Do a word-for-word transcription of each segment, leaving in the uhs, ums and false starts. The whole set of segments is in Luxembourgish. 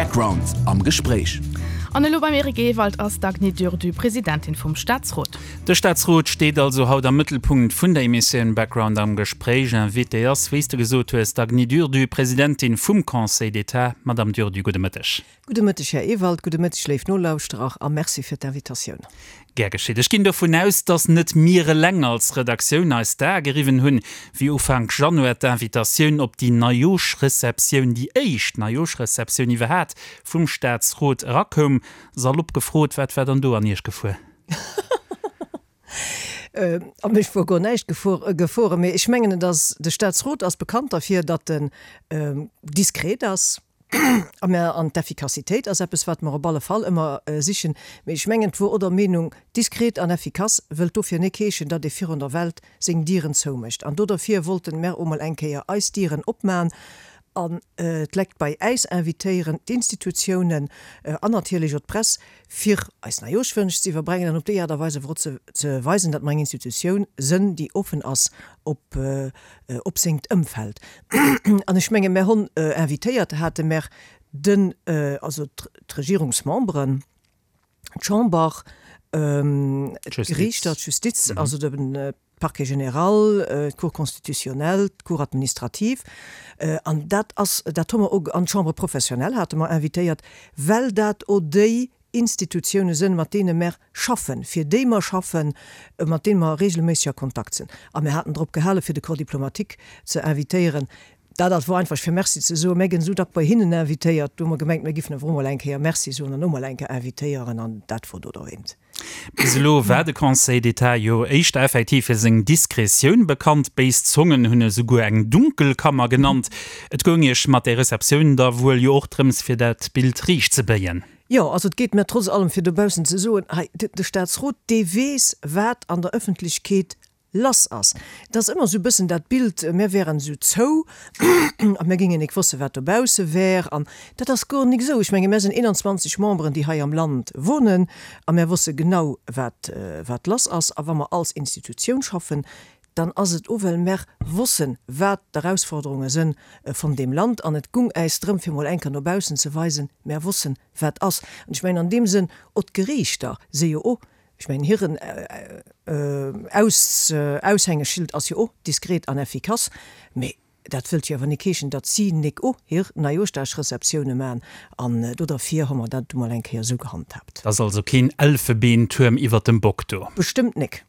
Background am Gespréich. An elo beim Eric Ewald ass d'Agny Durdu, Presidentin vum Staatsrot. De Staatsrot steet also haut am Mëttelpunkt vun der Emissioun Background am Gespréich. Invitée ass, wéi s de gesot hues, d'Agny Durdu, Presidentin vum Conseil d'État. Madame Durdu, gudde Mëtteg. Gudde Mëtteg, Här Ewald, gudde Mëtteg, léif Nolauschterer, a Merci fir d'Invitatioun. Gär geschitt. Ech ginn dovun aus, dass net mir eleng als Redaktioun eis d'Ae geriwwen hunn, wéi Ufank Januar d'Invitatioun op déi Neijooschreceptioun, déi éischt Neijooschreceptioun iwwerhat vum Staatsrot erakoum. Salopp gefrot, wat war dann do an Iech gefuer? A mech wor guer näischt gefuer, mee ech mengen, et ass, de Staatsrot ass bekannt derfir, datt en diskret ass. A mä an d'Effikassitéit ass eppes, wat mer op alle Fall ëmmer sichen. Mee ech mengen, et wor och der Meenung, diskret an effikass wëllt dofir nik heeschen, datt ee virun der Welt seng Dieren zoumécht. An doderfir wollten mer o mol eng Kéier eis Dieren opman an d'Lekt bei äis invitéieren, d'Institutiounen an natierlech och d'Press, fir eis Neijooschwënsch ze iwwerbrengen an op déi Aart a Weis awer och ze weisen, datt mer eng Institutioun sënn, déi offen ass op op sengt Ëmfeld. An ech menge mer honn invitéiert hate mer den, also d'Regierungsmemberen, d'Chamber, d'Geriichter, d'Justiz, also de Parquet général, d'Cour constitutionnelle, d'Cour administrative. An dat ass, dat hu mer och, an d'Chambre professionnelle hate mer invitéiert, well dat och déi Institutioune sënn, mat deene mer schaffen, fir déi mer schaffen, mat deene mer regelméisseg a Kontakt sinn. A mir haten drop gehale fir de Corps diplomatique ze invitéieren. Dat ass wor einfach fir Merci ze soen. Mir ginn esou dack bei hinnen invitéiert, do hu mer gemengt, mir giffen awer och mol eng Kéier Merci soen an och mol eng Kéier invitéieren an dat wor do derwéint. Bis elo war de Conseil d'État jo éischter effektiv fir seng Diskretioun bekannt. Béis Zongen hunn e souguer eng Dunkelkammer genannt. Et goung Iech mat där Receptioun da wuel jo och drëms, fir dat Bild riicht ze béien? Jo, also et geet mir trotz allem, fir dobaussen ze soen, hei, de Staatsrot, dee weess, wat an der Ëffentlechkeet lass ass. Et ass ëmmer esou e bëssen dat Bild, mir wären esou zou a mir géingen nik wosse wat dobausse wär. An dat ass guer nik esou. Ech menge mir sinn eenanzwanzeg Memberen, déi hei am Land wohnen a mir wosse genau wat wat lass ass. A wa mer als Institutioun schaffen, dann ass et o well mer wossen, wat d'Erausforderunge sënn von deem Land. An et gung äis drëm, fir mol eng Kéier no baussen ze weisen, mer wossen wat ass. An ech mengen an deem Sënn, o d'Geriichter si jo o, Ech mengen, hiren Aushängeschild ass jo och diskret an effikass, mee dat wëllt jo awer nik heeschen, datt si nik och hir Neijooschdagreceptioune man. An do derfir hu mer dat du mol eng Kéier esou gehandhaabt. Et ass also keen Elfebeentuerm iwwert dem Bock do? Bestëmmt nik.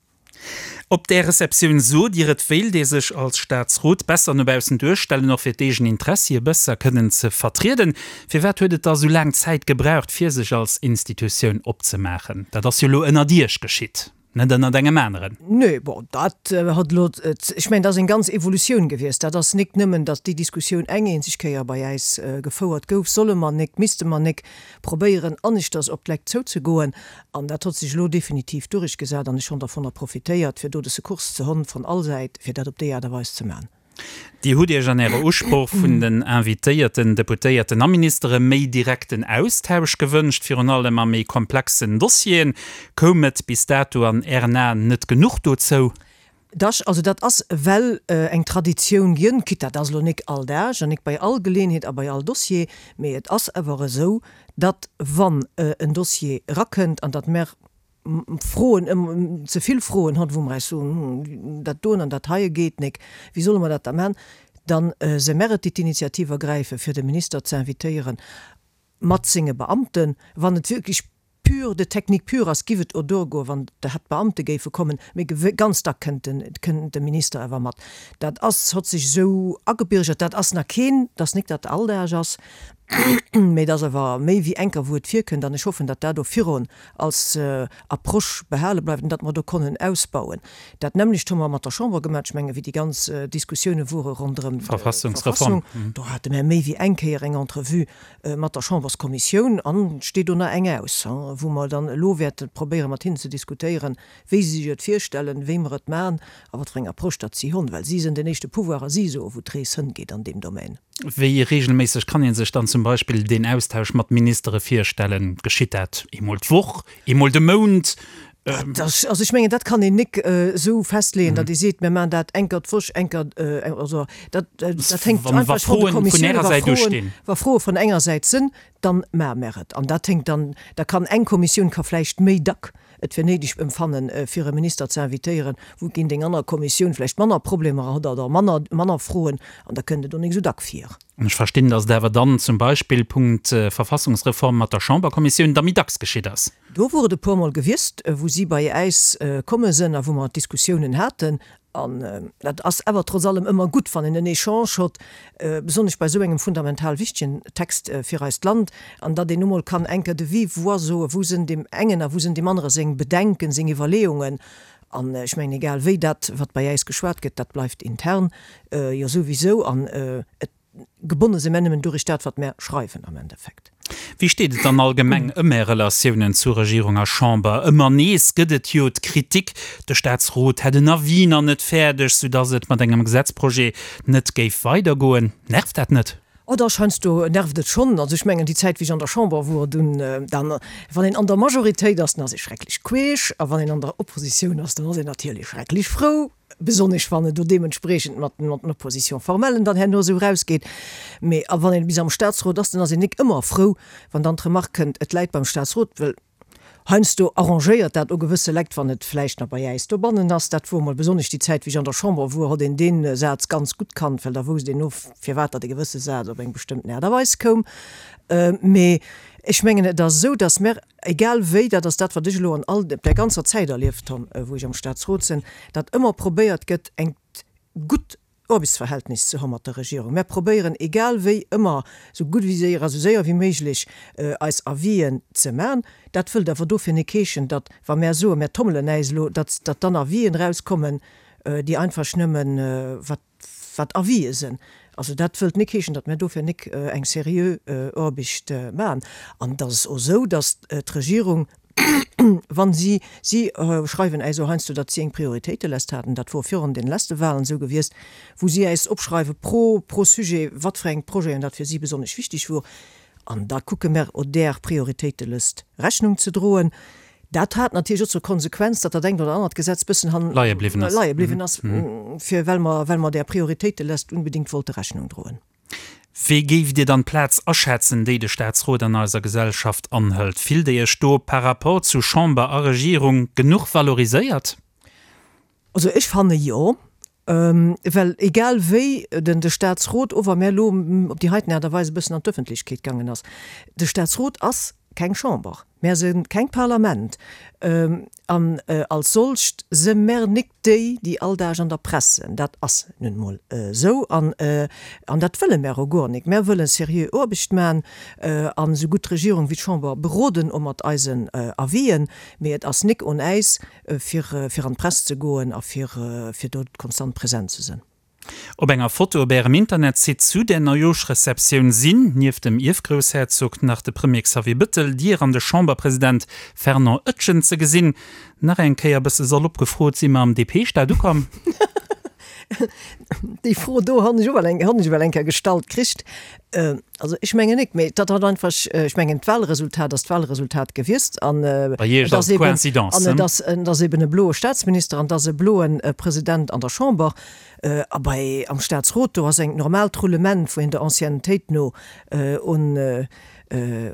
Op där Receptioun sot Dir, et wéilt ee sech als Staatsrot besser no baussen duerstellen, och fir d'eegen Interessie besser kënnen ze vertrieden. Firwat huet et da sou laang Zäit gebraucht, fir sech als Institutioun opzemaachen? Dat ass jo elo ënnert Iech geschitt, net ënnert engem aneren. Nee, bon, dat hat elo, ech mengen, dat ass eng ganz Evolutioun gewiescht. Dat ass nik nëmmen, datt déi Diskussioun eng eenzeg Kéier bei äis gefouert gouf, solle mer nik, misste mer nik probéieren, aneschters op d'Lekt zouzegoen. An dat hott sech elo definitiv durchgesat an ech honn dervunner profitéiert, fir do de Secours ze honn von all Säit, fir dat op déi Aart a Weis ze man. Dir hutt Iech an Ärer Usproch vun den invitéierten Deputéierten a Ministere méi direkten Austausch gewënscht, virun allem a méi komplexen Dossieren. Koum et bis dato an Ären Aen net genuch dozou? Dach, also dat ass well eng Traditioun ginn, quitte dat ass elo nik all Dag an nik bei all Geleeënheet a bei all Dossier, mee et ass awer esou, datt wann en Dossier erakënnt an datt mer Froen, ze vill Froen hunn, wou mer eis soen, hm, dat doen an dat heie geet nik, wéi solle mer dat da man, dann se mer et, déi d'Initiativ ergräifen, fir de Minister ze invitéieren mat senge Beamten, wann et wierklech pure, de technique pure ass, giff et o duer goen, wann de hätt d'Beamte géife kommen, mee ganz dack kënnt den, kënnt de Minister awer mat. Dat ass, hott sech esou agebürgert, dat ass nach keen, dat ass nik dat Alldag ass, mee dat ass awer méi wéi enker wou et virkënnt an ech hoffen, datt dat o virun als Approche behale bleift an datt mer do konnen ausbauen. Dat nämmlecht hu mer mat der Chamber gemaach, ech menge wéi déi ganz Diskussioune wore ronderëm d'Verfassung, do hate mer méi wéi eng Kéier eng Entrevue mat der Chamberskommissioun an et steet do nach eng aus, wou mer dann elo wäerte probéiere mat hinnen ze diskutéieren, wéi si sech et virstellen, wéi mer et maachen a wat fir eng Approche datt si hunn, well si sinn den éischte Pouvoir a si soe wou d'Rees hëngeet an deem Domaine. Wéi reegelméisseg kann ee sech dann zum Beispill deen Austausch mat Ministere virstellen? Geschitt dat eemol d'Woch, eemol de Mount, Dat, also ech mengen, dat kann een nik esou festleeën, datt ee seet, mir maachen dat eng Kéier d'Woch, eng Kéier, also dat, dat hänkt einfach vun de Kommissiounen, wa Froen, wa Froe vun enger Säit sinn, dann maache mer et. An dat hänkt dann, da kann eng Kommissioun ka vläicht méi dack et fir néideg empfannen, fir e Minister ze invitéieren, wougéint eng aner Kommissioun vläicht manner Problemer hat oder manner, manner Froen, an da kënnt et och nik esou dack vir. An ech verstinn, datt et awer dann zum Beispill Punkt Verfassungsreform mat der Chamberkommissioun da méi dacks geschitt ass. Do wor et e puermol gewiesst, wou si bei äis komme sënn a wou mer Diskussiounen haten. An dat ass awer trotz allem ëmmer gutt, wann een en Echange hott, besonnesch bei esou engem fundamental wichtegen Text fir eist Land, an datt een nu mol kann eng Kéier de vive voix soen, wou sënn deem engen a wou sënn deem anere seng Bedenken, seng Iwwerleeungen. An ech mengen, egal wéi, dat, wat bei äis geschwat gëtt, dat bleift intern jo souwisou. An et gebonne si mär nëmmen durich dat, wat mär schreiwen am Endeffekt. Wéi steet et dann allgemeng ëm Är Relatiounen zu Regierung a Chamber? Ëmmer nees gëtt et jo d'Kritik, de Staatsrot hätt en Avis nach net fäerdeg, soudass et mat engem Gesetzprojet net géif weidergoen. Nervt dat net? Oh dach, heiansdo nervt et schonn. Also ech mengen, déi Zäit, wéi ech an der Chamber wor, dunn, dann, wann een an der Majoritéit ass, dann ass ee schrecklech queesch, a wann een an der Oppositioun ass, dann ass een natierlech schrecklech frou. Besonnesch wann et do deementspreechend mat den Opposition-formellen dann herno esou erausgeet. Mee a wann een bis am Statsrot ass, dann ass een nik ëmmer frou, wann dann d'Remark kënnt, et läit beim Statsrot, well heiansdo arrangéiert dat o gewësse Lekt, wann et vläicht nach bei äis dobannen ass. Dat wor emol besonnesch déi Zäit, wéi ech an der Chamber wor, hott een dee Saz ganz gutt kannt, well da wousst een o, firwat datt e gewësse Saz op eng bestëmmten Aart a Weis koum. Mee ech mengen, et ass esou, datt mer, egal wéi, dat ass dat, wat ech elo an all der ganzer Zäit erlieft hunn, wou ech am Statsrot sinn, datt ëmmer probéiert gëtt, engt gutt Aarbechtsverhältnis ze hu mat der Regierung. Mer probéieren, egal wéi, ëmmer esou gutt wéi séier a sou séier wéi méiglech eis Avisen ze man. Dat wëllt awer dofir nik heeschen, datt, wa mer soen, mer tommelen äis elo, datt datt dann Avisen erauskommen, déi einfach nëmmen, wat wat Avisen sinn. Also dat wëllt nik heeschen, datt mer dofir nik eng seriö Aarbecht man. An et ass och esou, datt d'Regierung, Wann si, si schreiwen äis och heiansdo, datt si eng Prioritéitelest haten, dat wor virun den leste Wahlen esou gewiesst, wou si äis opschreiwe pro, pro Sujet, wat fir eng Projeten dat fir si besonnesch wichteg wor. An da kucke mer o där Prioritéitelëst Rechnung ze droen. Dat hat natierlech och zur Konsequenz, datt dat engt oder anert Gesetz bëssen han, Leie bliwwen ass. leie bliwwen ass, fir well mer, well mer där Prioritéitelest unbedingt wollte Rechnung droen. Wéi géift Dir dann d'Plaz aschätzen, déi de Staatsrot an eiser Gesellschaft anhëlt? Fillt Dir Iech do par rapport zu Chamber a Regierung genuch valoriséiert? Also ech fanne jo, well egal wéi den de Staatsrot, och wa mär elo op déi heiten Aart a Weis e bëssen an d'Ëffentlechkeet gaangen ass, de Staatsrot ass keng Chamber, mär si keng Parlament an als solcht si mär nik déi, déi all Dag an der Press sinn. Dat ass nun emol esou an dat wëlle mär och guer nik. Mär wëlle seriö Aarbecht man an esou gutt d'Regierung wéi d'Chamber beroden, och mat eisen Avisen, mee et ass nik un äis, fir fir an d'Press ze goen a fir fir do konstant present ze sinn. Op enger Foto op Ärem Internetsite zu der Neijooschreceptioun sinn, nieft dem Ierfgroussherzog, nach de Premier Xavier Bëttel, Dir an de Chamberpresident Fernand Etgen ze gesinn. Nach eng Kéier bësse salopp gefrot, Si mer am D P-Staat ukomm? Déi Fro do han ech och well eng, han ech well eng Kéier gestallt kricht. Also ech mengen nik, mee dat hat einfach, ech mengen d'Wahlresultat ass d'Wahlresultat gewiesst an Bei Iech et ass ass eben, Coïncidence, an et ne? ass, et ass eben e bloe Staatsminister an et ass e bloe President an der Chamber. A bei, am Staatsrot do ass engt normaalt Roulement, wou een der Anciennetéit no un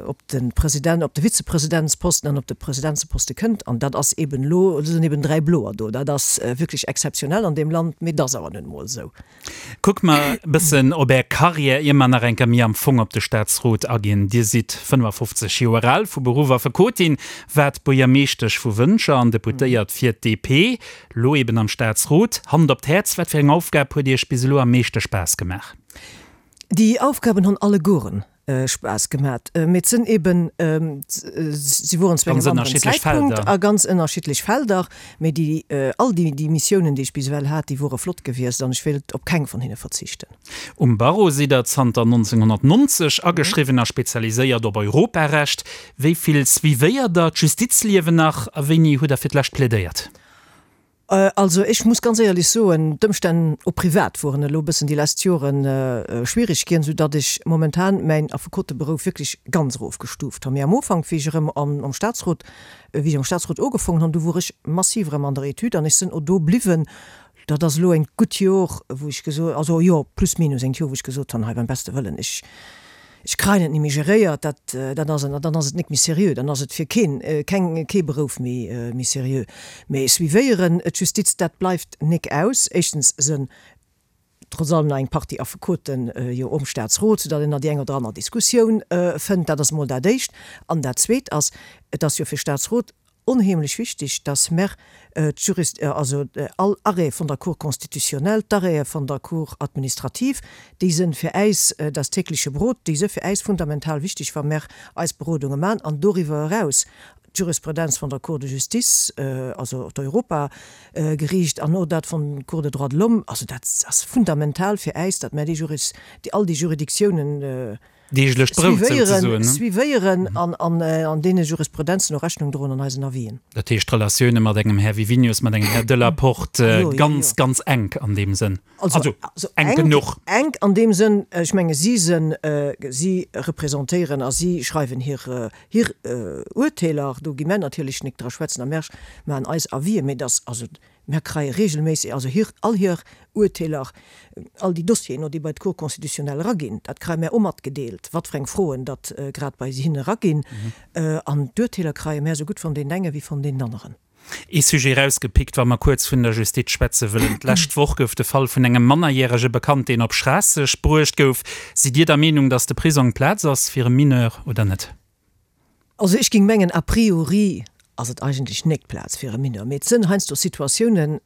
op de President, op de Vizepresidentsposten an op de Presidentsposte kënnt. An dat ass eben elo, et sinn eben dräi Bloer do. Dat ass wierklech exzeptionell an deem Land, mee et ass awer nun emol esou. Kucke mer e bëssen op Är Karriär, ier mer nach eng Kéier méi am Fong op de Staatsrot aginn. Dir sidd fënnefafofzeg Joer al, vu Beruff Affekotin, waart Buergermeeschtesch vu Wëntger an Deputéiert fir d'D P, lo eben am Staatsrot. Hand op d'Häerz, wat fir eng Aufgab huet Iech bis elo am meeschte Spaass gemaach? Déi Aufgaben hunn allegueren Spaass gemat, mee et sinn eben, si woren zu Ganz engem anderen ënnerschiddlech Zäitpunkt Felder. A ganz ënnerschiddlech Felder, mee déi, all déi, déi Missiounen, déi ech bis ewell hat, déi wore flott gewiescht an ech wéilt op keng vun hinne verzichten. Um Barreau sidd Der zanter nonzénghonnertnonzeg ageschriwwen a spezialiséiert op Europarecht. Wéi vill suivéiert Der d'Justizliewen nach a wéini hutt Der fir d'lescht plädéiert? Also ech muss ganz éierlech soen, d'Ëmstänn och privat woren elo e bëssen déi lescht Joren schwierig ginn, soudatt ech momentan mäin Affekoteberouf wierklech ganz erofgestuuft hunn. Mee am Ufank, wéi ech erëm am Statsrot, wéi ech am Statsrot ugefongen hunn, du wor ech massiv erëm an der Etüd an ech sinn och do bliwwen. Dat ass elo engt gutt Jor, wou ech gesot, also jo, plus minus engt Jor, wou ech gesot hunn, hei beim beste Wëllen, ech, ech kreien et ni méi geréiert, dat, dat ass, dann ass et nik méi seriö, dann ass et fir keen, keng, kee Berouf méi, méi seriö. Mee suivéieren d'Justiz, dat bleift nik aus. Éischtens sënn trotz allem nach eng Partie Affekoten jo um Staatsrot, soudatt een nach déi eng oder aner Diskussioun fënnt. Dat ass emol dat Éischt. An dat Zweet ass, et ass jo fir Staatsrot onheemlech wichtig, dass mer d'Jurist, also all Arrêt vun der Cour constitutionnelle, d'Arrêtë vun der Cour administrative, déi sënn fir äis das tägliche Brot, déi së fir äis fundamental wichtig, wa mer eis Berodunge man. An doriwwer eraus d'Jurisprudenz vun der Cour de justice, also d'Europageriicht an och dat vun Cour des droits de l'homme, also dat ass fundamental fir äis, datt mer déi Juris, déi all déi Juridictiounen Deeglecht Brout souzesoen, ne? Suivéieren an an deene Jurisprudenzen och Rechnung droen an eisen Avisen. Dat heescht, d'Relatioune mat engem Här Wiwinius, mat engem Här Delaporte, ganz, ganz enk an deem Sënn. Also enk genuch. Enk an deem Sënn, ech menge si sënn, si representéieren a si schreiwen hir hir Urteeler, do gi mär natierlech nik dra schwätzen a mär maachen eis Avisen, mee dass also Mär kreie regelméisseg, also hir, all hir Urteeler, all déi Dossieren, déi bei d'Cour constitutionnelle eraginn, dat kreie mär och matgedeelt, wat fir eng Froen datt grad bei hinne eraginn. An d'Urteeler kreie mär esou gutt von deenen enge wéi von deenen aneren. Ee Sujet erausgepickt, wa mer kuerz vun der Justiz schwätze wëllen. D'lescht Woch gouf de Fall vun engem Mannerjärege bekannt, deen op Schraasseg bruecht gouf. Sidd Dir der Meenung, datt de Prisong d'Plaz ass fir e Mineur oder net? Also ech géing mengen, a priori ass et eigentlech nek d'Plaz fir e Mineur, mee et sënn heiansdo Situatiounen,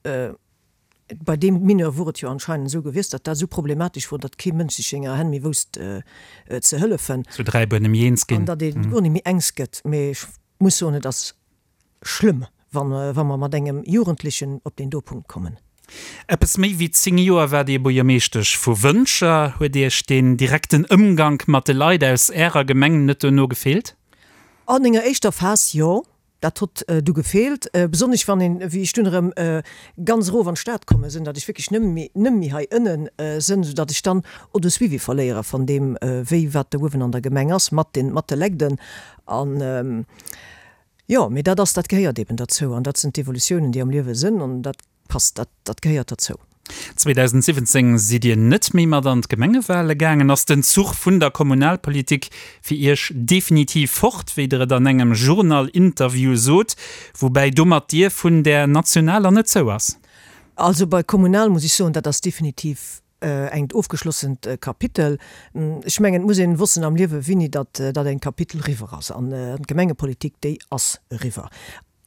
bei deem Mineur wor et jo anscheinend esou gewiesst, datt dat esou problematesch wor, datt kee Mënsch sech senger Hänn méi wousst ze hëllefen. Zu Dräibuer nëmme eens ginn. An datt ee guer net méi engs gëtt. Mee ech muss soen, et ass schlëmm, wa mer mat engem Jugendlechen op deen do Punkt kommen. Eppes méi wéi zéng Joer waart Dir Buergermeeschtesch vu Wëntger. Huet Iech deen direkten Ëmgank mat de Leit aus Ärer Gemeng net dono gefeelt? An enger éischter Phas jo, dat hott du gefeelt, besonnesch wann een, wéi ech dunn erëm ganz erof an d'Stad komme sinn, datt ech wierklech nëmme méi, nëmme méi hei ënne sinn, soudatt ech dann och de Suivi verléiere van deem, wéi wat do uewen an der Gemeng ass mat den, mat de Legden. An jo, mee dat ass, dat gehéiert eben derzou an dat sinn d'Evolutiounen, déi am Liewe sinn an dat passt, dat, dat gehéiert derzou. zweedausendsiwwenzéng sidd Dir net méi mat an d'Gemengewale gaangen. Ass den Zuch vun der Kommunalpolitik fir Iech definitiv fort, wéi Der et an engem Journal-Interview sot, woubäi domat d'Dier vun där nationaler net zou ass? Also bei Kommunal muss ech soen, dat ass definitiv engt ofgeschlossent Kapitel. Ech mengen, et muss een wossen am Liewe wéini datt dat engt Kapitel eriwwer ass. An d'Gemengepolitik, déi ass eriwwer.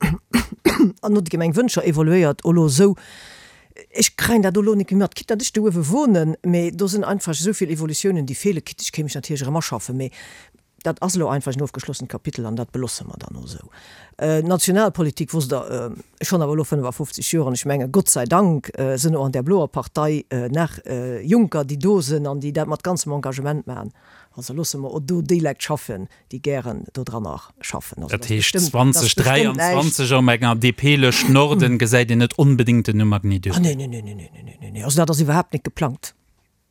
An no déi Gemeng Wëntger evoluéiert elo esou, ech kréien dat elo net méi mat, quitte datt ech do uewe wohnen, mee do sinn einfach esou vill Evolutiounen, déi feelen, quitte ech kéim mech natierlech erëm aschaffen, mee dat ass elo einfach en ofgeschlossent Kapitel an dat belosse mer dann och esou. Nationalpolitik, wosst Der, ech hunn awer elo fënnefafofzeg Joer an ech menge Gott sei Dank sinn och an där bloer Partei nach Jonker, déi do sinn an déi dat mat ganzem Engagement maachen. Also loosse mer och do déi Leit schaffen, déi gären dodranner schaffen. Also dat heescht zweedausend dräianzwanzeg op enger D P-Lëscht Norden gesäit een net onbedéngt den Numm Agny Durdu. Ah nee, nee, nee, nee, nee, nee, nee. Also dat ass iwwerhaapt net geplangt.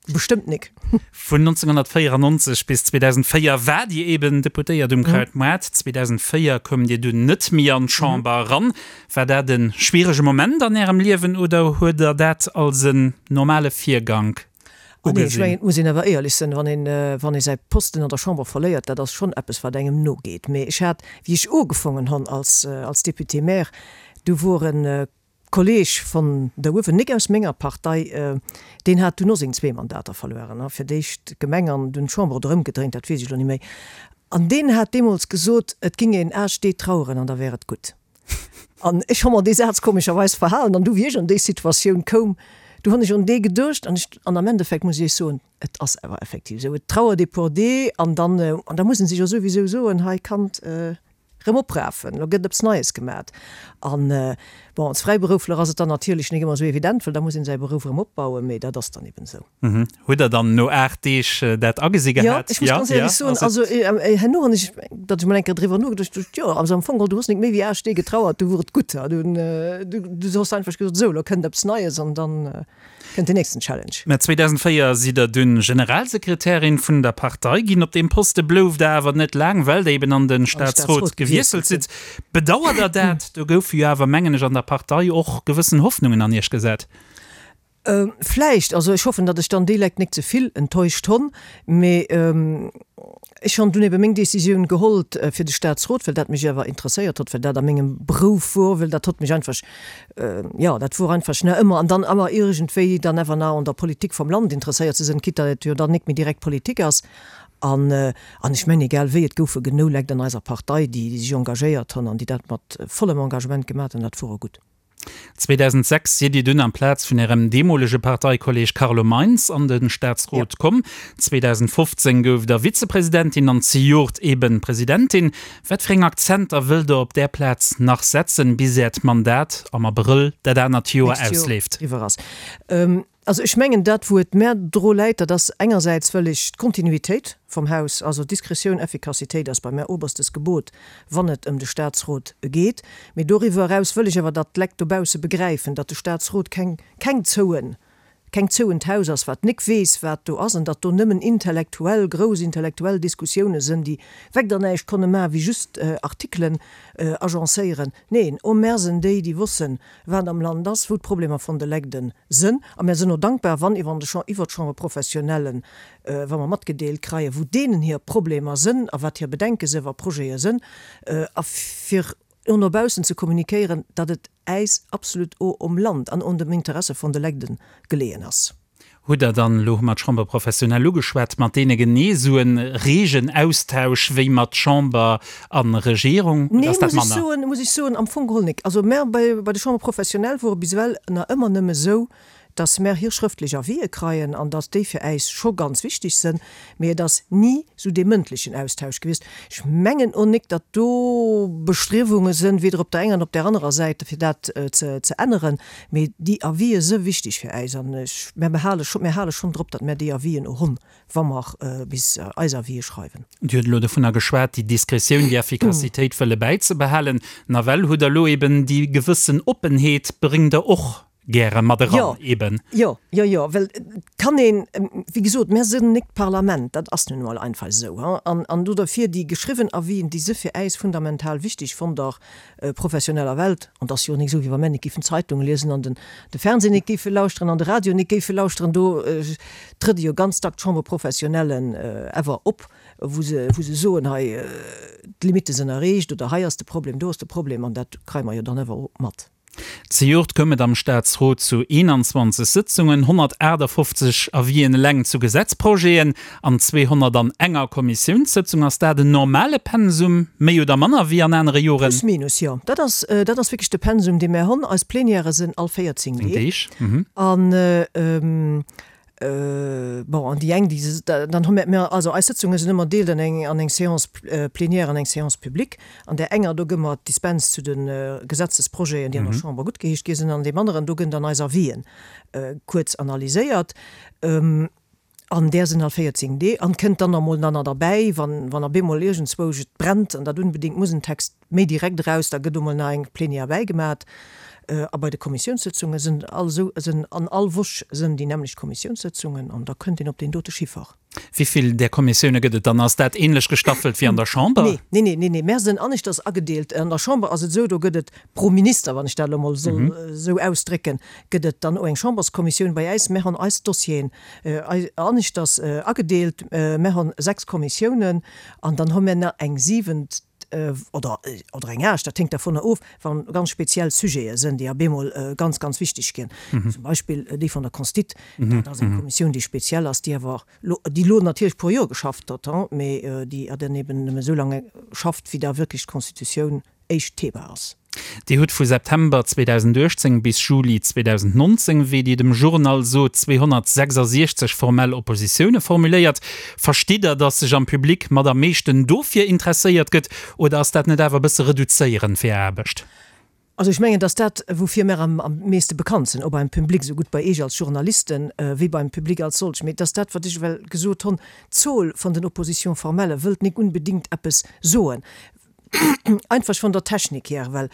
Bestëmmt nik. Vun nonzénghonnertvéierannonzeg bis zweedausendvéier waart Dir eben Deputéiert um Krautmaart. zweedausendvéier koumt Dir dunn net méi an d'Chamber eran. War dat e schwierege Moment an Ärem Liewen oder huet Der dat als en normale Virgank Ah nee, ech mengen, et muss een awer éierlech sinn, wann een, wann ee säi Posten an der Chamber verléiert, dat ass schonn eppes, wat engem nogeet. Mee ech hat, wéi ech ugefongen hunn als, als Député-maire, du wor e Kolleg von der uewen, nik aus menger Partei, deen hat dunn och seng zwee Mandater verlueren, fir d'éischt d'Gemeng an dunn d'Chamber oder ëmgedréint, dat weess ech elo ni méi. An deen hat deemools gesot, et ging een aacht Deeg traueren an da wär et gutt. An ech hu mer dee Saz komescherweis verhalen an du wéi ech an déi Situatioun koum, du hunn ech un dee geduecht an ech, an am Endeffekt muss ech Iech soen, et ass awer effektiv esou, et trauert ee puer Dee an dann, an da muss ee sech jo souwisou soen, hei Kand, rëm oprafen, lo gëtt eppes Neies gemat. An bon, als Fräiberuffler ass et dann natierlech nik ëmmer esou evident, well da muss een säi Beruff erëm opbauen, mee dat ass dann eben esou. Hutt Der dann no aacht Deeg dat agesi Jo, gehat? ech muss ganz éierlech soen, also herno hunn ech, datt ech mol eng Kéier driwwer nogeduecht hunn, jo, also am Fong geholl, du hues nik méi wéi aacht Deeg getrauert, du wor et gutt. Du, du hues einfach gesot, esou, lo kënnt eppes Neies an dann kënnt den nächsten Challenge. Mä zweedausendvéier sidd Der dunn Generalsekretärin vun der Partei ginn. Op deem Poste blouft Der awer net laang, well Der eben an de Staatsrot gewiesselt sidd. Bedauert Der dat? Do goufe jo awer, mengen ech, an der Partei och gewëssen Hoffnungen an Iech gesat. Vläicht. Also ech hoffen, datt ech dann déi Leit nik ze vill enttäuscht honn. Mee ech honn dunn ebe meng Decisioun gehollt fir de Staatsrot, well dat mech awer interesséiert hott, well dat a mengem Berouf wor, well dat hott mech einfach, jo, dat wor einfach nach ëmmer an dann awer iergendwéi dann awer nach un der Politik vum Land interesséiert ze sënn, quitte datt et jo dann nik méi direkt Politik ass. An, an ech mengen, egal wéi, et goufe genou Lekt an eiser Partei, déi sech engagéiert honn an déi dat mat vollem Engagement gemat hunn. Dat wor och gutt. zweedausendsechs sidd Dir dunn amplaz vun Ärem deemolege Parteikolleeg Carlo Meintz an de Staatsrot komm. zweedausendfofzéng gouft Der Vizepresidentin an zejoert eben Presidentin. Wat fir eng Akzenter wëllt Der op där Plaz nach setzen, bis Äert Mandat am Abrëll dat anert Joer Nächst Joer ausleeft? eriwwer ass? Also ech mengen, dat wou et mär dru läit, dat ass engersäits wëll ech d'Kontinuitéit vum Haus, also Diskretioun, Effikassitéit ass bei mär oberstes Gebot, wann et ëm de Statsrot geet. Mee doriwwer eraus wëll ech awer, datt d'Lekt dobausse begräifen, datt de Statsrot keng, keng zouen, keng zouent Haus ass, wat nik weess, wat do ass, an datt do nëmmen intellektuell, grouss intellektuell Diskussioune sënn, déi wegder näischt konne maachen, wéi just Artikelen agencéieren. Neen, o mär sënn déi, déi wossen, wat am Land ass, wou d'Problemer von de Legden sënn. A mär sënn o dankbar, wann iwwer de iwwer d'Chambre professionnelle, wa mer matgedeelt kreien, wou deenen hir Problemer sënn a wat hir Bedenke sënn, wa Projete sënn, a fir o no baussen ze kommunikéieren, datt et äis absolut o um Land an un dem Interesse von de Legden geleeën ass. Hutt Der dann, elo hu mer d'Chambre professionnelle ugeschwat, mat deene genee esou e reegen Austausch wéi mat Chamber a Regierung, oder Nee, ass dat muss ech manner? soen, muss ech soen, am Fong geholl nik. Also mär bei, bei de Chambre professionnelle wor et bis ewell na ëmmer nëmme esou, dass mär hir schrëftlech Avisë kreien an dass déi fir äis scho ganz wichteg sënn, mee et ass ni sou dee mëndlechen Austausch gewiescht. Ech mengen o nik, datt do Bestriewunge sënn, weder op der enger noch op der anerer Säit, fir dat ze, ze änneren, mee déi Avisë së wichteg fir äis an ech, mär behale scho, mär hale schonn drop, datt mär déi Avisen o honn, wa mer bis eis Avisë schreiwen. Dir hutt elo dovunner geschwat, déi Diskretioun, déi Effikassitéit wëlle bäizebehalen. Nawell hutt Der elo eben déi gewëssen Oppenheet bréngt Der och gäre mat eran, Jo, eben. jo, jo, jo, well et kann een, wéi gesot, mär sinn nik d'Parlament, dat ass nun emol einfach esou, hein, an, an do derfir déi geschriwwen Avisen, déi si fir äis fundamental wichteg von der professioneller Welt, an et ass jo och nik esou, wéi wa mär nik géifen d'Zeitung liesen an den, de Fernseh nik géife lauschteren an de Radio nik géife lauschteren, do trëtt jo ganz dack d'Chambre professionnelle awer op, wou se, wou se soen, hei, d'Limitte sinn erreecht oder hei ass de Problem, do ass de Problem, an dat kreie mer jo dann awer och mat. Zejoert koum et am Staatsrot zu eenanzwanzeg Sëtzungen, honnertaachtafoffzeg Avisen eleng zu Gesetzprojeten an zweehonnertanenger Kommissiounssëtzung. Ass dat en normale Pensum, méi oder manner wéi an anere Joren? Plus minus, jo. Dat ass, dat ass wierklech de Pensum, dee mär hunn. Eis Plenièrë sinn all véierzéng Deeg. Deeg, mhm. An Bon, an déi eng, déi, dann hu mir, mir, also eis Sëtzunge sinn ëmmer deelt an eng, an eng Séance plénière an eng Séance publique. An där enger, do gëmme mer d'Dispens zu de Gesetzesprojeten, déi an der Chamber guttgeheescht gi sinn, an deem aneren, do gënn dann eis Avisen kuerz analyséiert. An där sinn all véierzéng Dee an kënnt dann emol dann nach derbäi, wann, wann op eemol iergendzwousch et brennt an dat unbedéngt muss en Text méi direkt eraus, da gëtt emol nach eng Plénière bäigemat. A bei de Kommissiounssëtzunge sinn all esou, sinn an all Woch sinn déi nämmlecht Kommissiounssëtzungen an da kënnt een op deen dote Chiffer. Wéi vill där Kommissioune gëtt et dann? Ass dat ähnlech gestaffelt wéi an der Chamber? Nee, nee, nee, nee, nee, mär sinn aneschters agedeelt. An der Chamber ass et esou, do gëtt et pro Minister, wann ech dat elo mol soll esou ausdrécken, gëtt et dann och eng Chamberskommissioun. Bei äis, mär hunn eis Dossieren aneschters agedeelt. Mär hunn sechs Kommissiounen an dann hu mär nach eng siwent, oder oder eng aacht, dat hänkt dervunner of, wann ganz speziell Sujete sinn, déi op eemol ganz, ganz wichteg ginn. Zum Beispill déi vun der Constite, dat ass eng Kommissioun, déi speziell ass, déi awer lo, déi lo natierlech puer Joer geschafft huet, hein, mee déi dann eben nëmme esou laang schafft, wéi da wierklech d'Constitutioun éischt Thema ass. Dir hutt vu September zweedausenduechtzéng bis Juli zweedausendnonzéng, wéi Dir dem Journal sot, zweehonnertsechsasiechzeg formell Oppositioune formuléiert. Verstitt Der, datt sech am Public mat am meeschten dofir interesséiert gëtt, oder ass dat net awer e bësse reduzéierend fir Är Aarbecht? Also ech mengen, datt dat, woufir mär am meeschte bekannt sinn, och beim Public, esou gutt bei Iech als Journalisten wéi beim Public als solch, mee datt dat, wat ech ewell gesot honn, d'Zol vun den Oppositions formelles wëllt nik unbedingt eppes soen, einfach von der Technik hier, well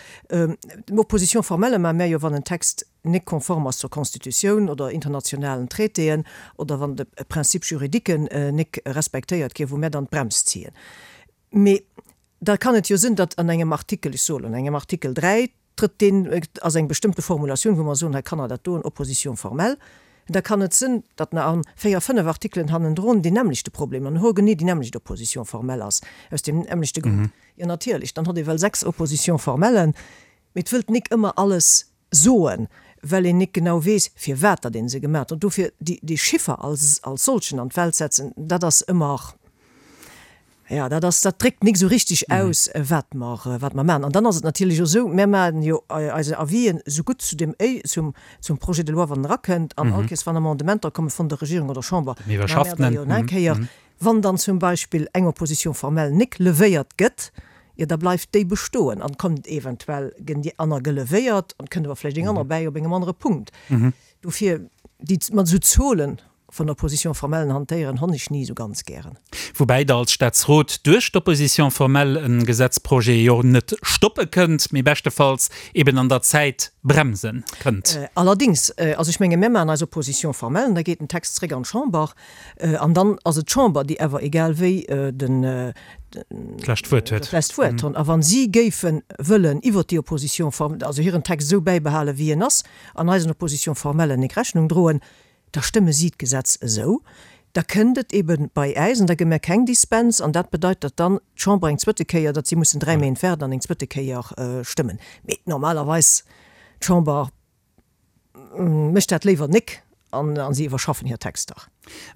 Opposition formelle maache mär jo, wann en Text nik konform ass zur Constitutioun oder internationalen Traitéen oder wann de Principe juridiquen nik respektéiert ginn, wou mär dann d'Brems ziehen. Mee da kann et jo sinn, datt an engem Artikel, ech soen an engem Artikel dräi, trëtt deen, ass eng bestëmmte Formulatioun, wou mer soen, hei kann Der dat doen, Opposition formelle. Da kann et sinn, datt nach an véier, fënnef Artikelen hannendrun deen nämmlechte Problem an hoergenee déi nämmlecht Opposition formelle ass, aus deem nämmlechte Grond. Jo, natierlech, dann hott ee well sechs Oppositions formellen, mee et wëllt nik ëmmer alles soen, well een nik genau weess, firwat datt ee se gemat huet. Dofir déi Chiffer als als solchen an d'Welt setzen, dat ass ëmmer, Jo, dat ass, dat dréckt nik esou richtig aus, wat mer, wat mer maachen. An dann ass et natierlech och esou, mär maachen jo eise Avisen esou gutt zu dem, zum, zum Projet de loi, wann en erakënnt, an all Kéiers, wann Amendementer komme vun der Regierung oder Chamber, maache mär der jo nach eng Kéier. Wann dann zum Beispill eng Opposition formelle nik levéiert gëtt, jo, da bleift déi bestoen an kommt eventuell, gënn déi aner gelevéiert an kënnt awer vläicht eng aner bäi op engem anere Punkt. Dofir, déi, mat esou Zolen Von Opposition formellen hantéieren honn ech ni esou ganz gären. Woubäi Der als Staatsrot duerch d'Opposition formelle e Gesetzprojet jo net stoppe kënnt, mee beschtefalls eben an der Zäit bremse kënnt. Allerdings, also ech menge mir maachen eis Opposition formelle an da geet den Text zréck an d'Chamber an dann ass et d'Chamber, déi awer egal wéi den d'lescht Wuert huet. Dat lescht Wuert hunn. A wa si géife wëllen iwwert déi Opposition formelle, also hiren Text esou bäibehale wéi en ass, an eisen Opposition formellen nik Rechnung droen, da stëmme si d'Gesetz esou, da kënnt et ebe bei äis an da gi mir keng Dispens an dat bedeit, datt dann d'Chamber eng zwëtte Kéier, datt si mussen dräi Méint waarden an eng zwëtte Kéier stëmmen. Mee normalerweis, d'Chamber mécht dat léiwer nik an si iwwerschaffen hir Texter.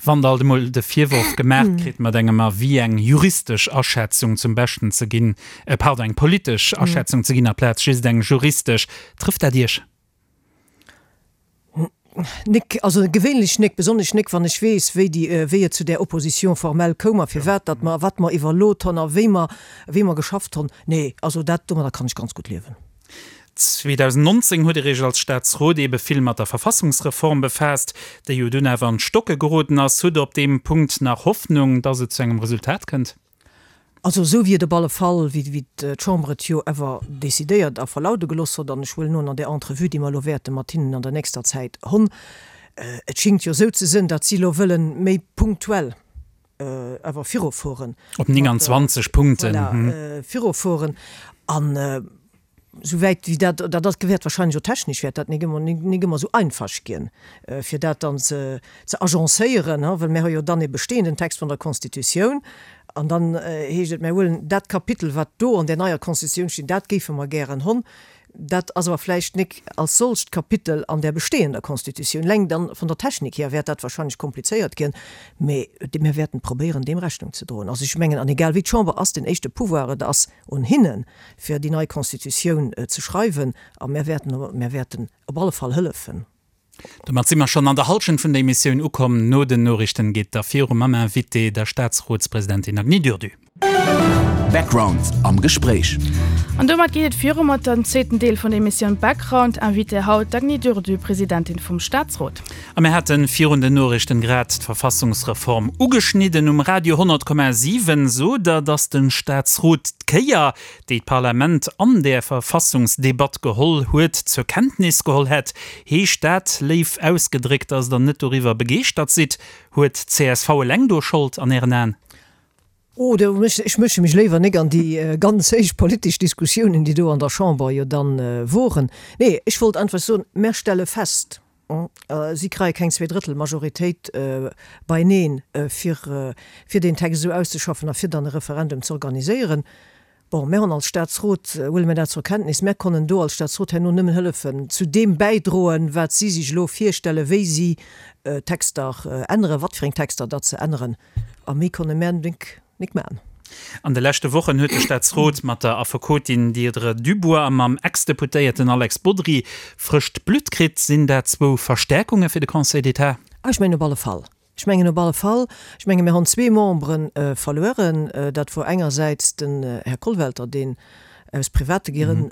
Wann Der alt emol de Virworf gemaacht kritt, mat engem Avis eng juristesch Aschätzung zum Beschten ze ginn, pardon, eng politesch Aschätzung ze ginn aplaz just eng juristesch, trëfft dat Iech? Nik, also gewéinlech nik, besonnesch nik, wann ech weess, wéi déi, wéi et zu där Opposition formelle koum a firwat datt mer, wat mer iwwerlot honn a wéi mer, wéi mer geschafft honn. Nee, also dat, domadder kann ech ganz gutt liewen. zweedausendnonzéng huet Dir Iech als Staatsrot eebe vill mat der Verfassungsreform befaasst, déi jo dunn awer an d'Stocke geroden ass. Hutt Der op deem Punkt nach Hoffnung, datt et zu engem Resultat kënnt? Also esou wéi et op alle Fall, wéi d'Chamber et jo awer décidéiert a verlaude gelooss huet, an ech huelen un an där Entrevue, déi mer elo wäerte mat hinnen an der nächster Zäit honn, et schingt jo esou ze sinn, datt si elo wëlle méi punktuell awer virufueren. Op neunundzwanzeg Punkten. Voilà, virufueren. An Souwäit wéi dat, dat ass, wäert wahrscheinlech och technesch wäert dat nik ëmmer, nik ëmmer esou einfach ginn, fir dat dann ze, ze agencéieren, ha, well mir hu jo dann e bestehenden Text vun der Constitutioun an dann heescht et, mir huelen dat Kapitel, wat do an där neier Constitutioun steet, dat géife mer gären honn. Dat ass awer vläicht nik als solcht Kapitel an där bestehender Constitutioun. Eleng dann vun der Technik hier wäert dat wahrscheinlech komplizéiert ginn, mä mir wäerten probéieren, deem Rechnung ze droen. Also ech mengen, an egal wéi, d'Chamber ass den éischte Pouvoir, et ass un hinnen, fir déi nei Constitutioun ze schreiwen, a mär wäerten, mär wäerten op alle Fall hëllefen. Domat si mer schonn an der Hallschent vun der Emissioun ukomm. No den Noriichten geet da viru mam Invité, der Staatsrotspresidentin Agny Durdu. Background am Gespréich. An domat geet et viru mat dem zweeten Deel vun der Emissioun Background. Invitée haut d'Agny Durdu, Presidentin vum Staatsrot. A mir haten virun den Noriichten grad d'Verfassungsreform ugeschnidden. Um Radio honnert Komma siwen sot Der, datt de Staatsrot d'Kéier, déi d'Parlament an där Verfassungsdebatt geholl huet, zur Kenntnis geholl hätt. Heescht dat, léif ausgedréckt, datt Der net doriwwer begeeschtert sidd? Huet d'C S V eleng do Schold an Ären Aen? Oh, do mësch, ech mësche mech léiwer nik an déi ganz héich politesch Diskussiounen, déi do an der Chamber jo dann woren. Nee, ech wollt einfach soen, mär stelle fest, si kreie keng Zweedrëttelmajoritéit beineen, fir, fir deen Text esou auszeschaffen a fir dann e Referendum ze organiséieren. Bon, mär hunn als Staatsrot, huele mir dat zur Kenntnis, mär konnen do als Staatsrot herno nëmmen hëllefen, zu deem bäidroen, wat si sech elo virstellen, wéi si d'Texter änneren, wat fir eng Texter datt se änneren. A méi konne mär nik Nik man. An de leschte Wochen huet de Staatsrot mat der Affekotin Deirdre Dubois a mam Ex-Deputéierten Alex Bodry frëscht Blutt kritt. Sinn dat zwou Verstäerkunge fir de Conseil d'État? Ah, ech mengen op alle Fall. Ech mengen op alle Fall. Ech menge mir hunn zwee Membere verlueren. Dat wor engersäits den Här Kollwelter, deen aus private Grënn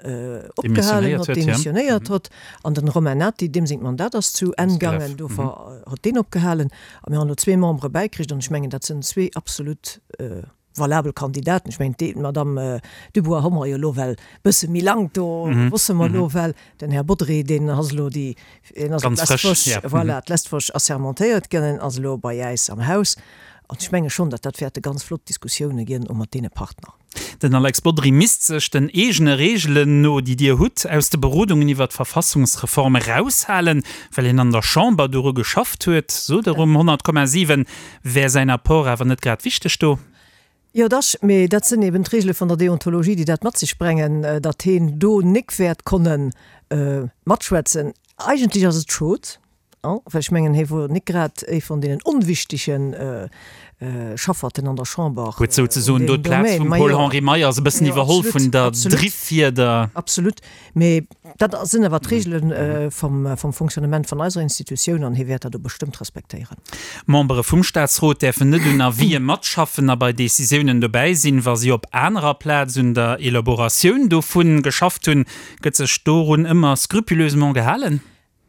opgehalen hott, demissionéiert hott, an den Romain Nati, deem sengt Mandat ass zu Enn gaangen, dofir hott deen opgehalen. A mir hunn elo zwee Membere bäikritt an ech mengen, dat sënn zwee absolut valabel Kandidaten. Ech mengen, d'Madame Dubois hu mer jo elo well bësse méi lang, do wosse mer elo well, den Här Bodry, deen ass elo déi, deen ass d'lescht Woch, voilà, d'lescht Woch assermentéiert ginn, en ass elo bei äis am Haus. An ech menge schonn, datt dat wäerte ganz flott Diskussioune ginn, och mat deene Partner. Den Alex Bodry misst sech den eegene Reegelen no, déi Dir hutt, aus de Berodungen iwwer d'Verfassungsreform eraushalen, well hien an der Chamber doru geschafft huet, sot er um honnert Komma siwen. Wär säin Apport awer net grad wichteg do? Jo, dach, mee dat sinn eben d'Reegele vun der Deontologie, déi dat mat sech brengen, datt heen do nik wäert konne matschwätzen. Eigentlech ass et schod, well ech mengen, hie wor nik grad ee vun deenen onwichtege Schafferten an der Chamber. Huet souzesoen do d'Plaz vum Paul-Henri Meyers e bëssen iwwerholl, vun der Drifffieder. Absolut, mee dat sinn awer d'Reegele vum Fonctionnement vun eiser Institutioun an hie wäert dat och bestëmmt respektéieren. Membere vum Staatsrot däerfen net un Avisë matschaffen a bei Decisiounen dobäi sinn, wa si op anerer Plaz un der Elaboratioun dovun geschafft hunn. Gëtt sech dorun ëmmer scrupuleusement gehalen?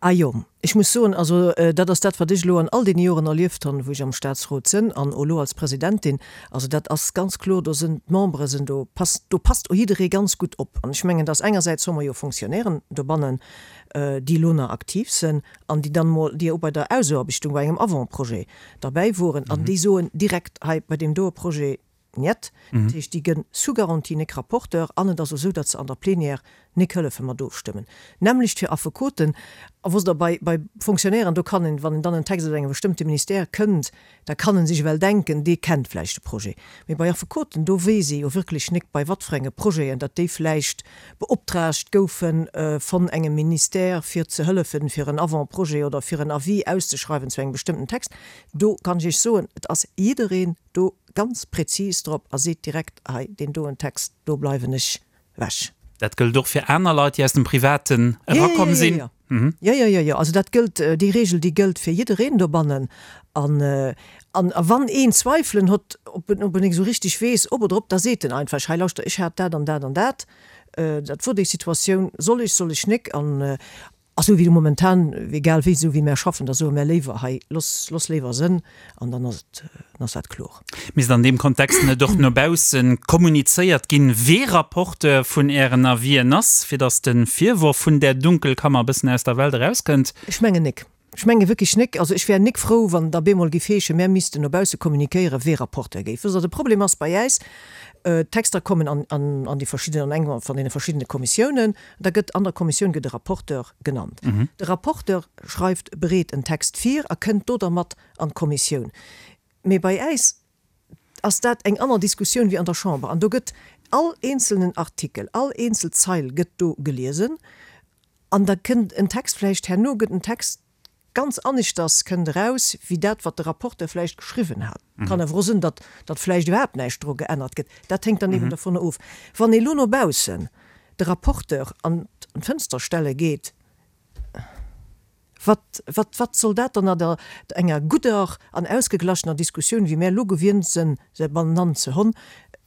Ah jo, ech muss soen, also dat ass dat, wat ech elo an all deene Joren erlieft hunn, wou ech am Statsrot sinn an och elo als Presidentin. Also dat ass ganz kloer, do sinn d'Membere sinn do, passt, do passt och jidderee ganz gutt op. An ech mengen, dass engersäits hu mer jo Fonctionnairen dobannen, déi elo nach aktiv sinn an déi dann emol, déi och bei der Ausaarbechtung bei engem Avant-projet derbäi woren an déi soen direkt, hei bei deem doe Projet Njet. Dat heescht, déi gënn sous garantie nik Rapporteur an et ass och esou, datt se an der Plénière nik hëllefe mat ofstëmmen. D'nämmlecht fir Affekoten. A wosst Der, bei, bei Fonctionnairen, do kann een, wann en dann en Text aus engem bestëmmte Ministère kënnt, da kann en sech ewell denken, dee kennt vläicht de Projet. Mee bei Affekoten, do weess ee jo wierklech nik, bei wat fir enge Projeten, datt déi vläicht beoptraagt goufe von engem Ministère, fir ze hëllefen, fir en Avant-projet oder fir en Avis auszeschreiwen zu engem bestëmmten Text. Do kann ech Iech soen, et ass jiddereen do ganz präzis drop a seet direkt, hei deen doen Text, do bleiwen ech wech. Dat gëllt och fir aner Leit, déi aus dem Privaten erakomm sinn? Jo, jo, jo, jo, jo. Also dat gëllt, déi Regel, déi gëllt fir jiddereen dobannen. An, an wann een Zweifelen hott, ob en, ob en nik esou richtig weess, ob oder ob, da seet en einfach, hei lauschter, ech hat dat an dat an dat, dat wor déi Situatioun, soll ech, soll ech nik? An A sou wéi momentan, egal wéi, sou wéi mär schaffen, da soe mär léiwer, hei, looss, looss léiwer sënn, an dann ass et, dann ass dat kloer. Misst an deem Kontext net och no bausse kommunizéiert ginn, wee Rapporteur vun Ären Avisen ass, fir datt de Virworf vun där Dunkelkammer e bëssen aus der Welt erauskënnt? Ech mengen nik. Ech menge wierklech nik. Also ech wär nik frou, wann et op eemol géif heeschen, mär missten no bausse kommunikéieren, wee Rapporteur géif. Wësst Der, de Problem ass bei äis, D'Texter kommen an, an, an déi verschidden, an eng van deene verschiddene Kommissiounen. Da gëtt an der Kommissioun gëtt e Rapporteur genannt. De Rapporteur schreift, bereet en Text vir a kënnt do dermat an d'Kommissioun. Mee bei äis ass dat eng anner Diskussioun wéi an der Chamber. An do gëtt all eenzelnen Artikel, all eenzel Zeil gëtt do geliesen. An da kënnt en Text vläicht herno gëtt en Text ganz aneschters kënnt eraus wéi dat, wat de Rapporteur vläicht geschriwwen hat. Kann awer och sinn, datt datt vläicht iwwerhaapt näischt dru geännert gëtt. Dat hänkt dann eben dovunner of. Wann ee lo no baussen de Rapporteur an d'Fënster stelle geet, wat wat wat soll dat dann a der enger gudder an ausgeglachener Diskussioun, wéi mär elo gewinnt sinn, se banenann ze honn,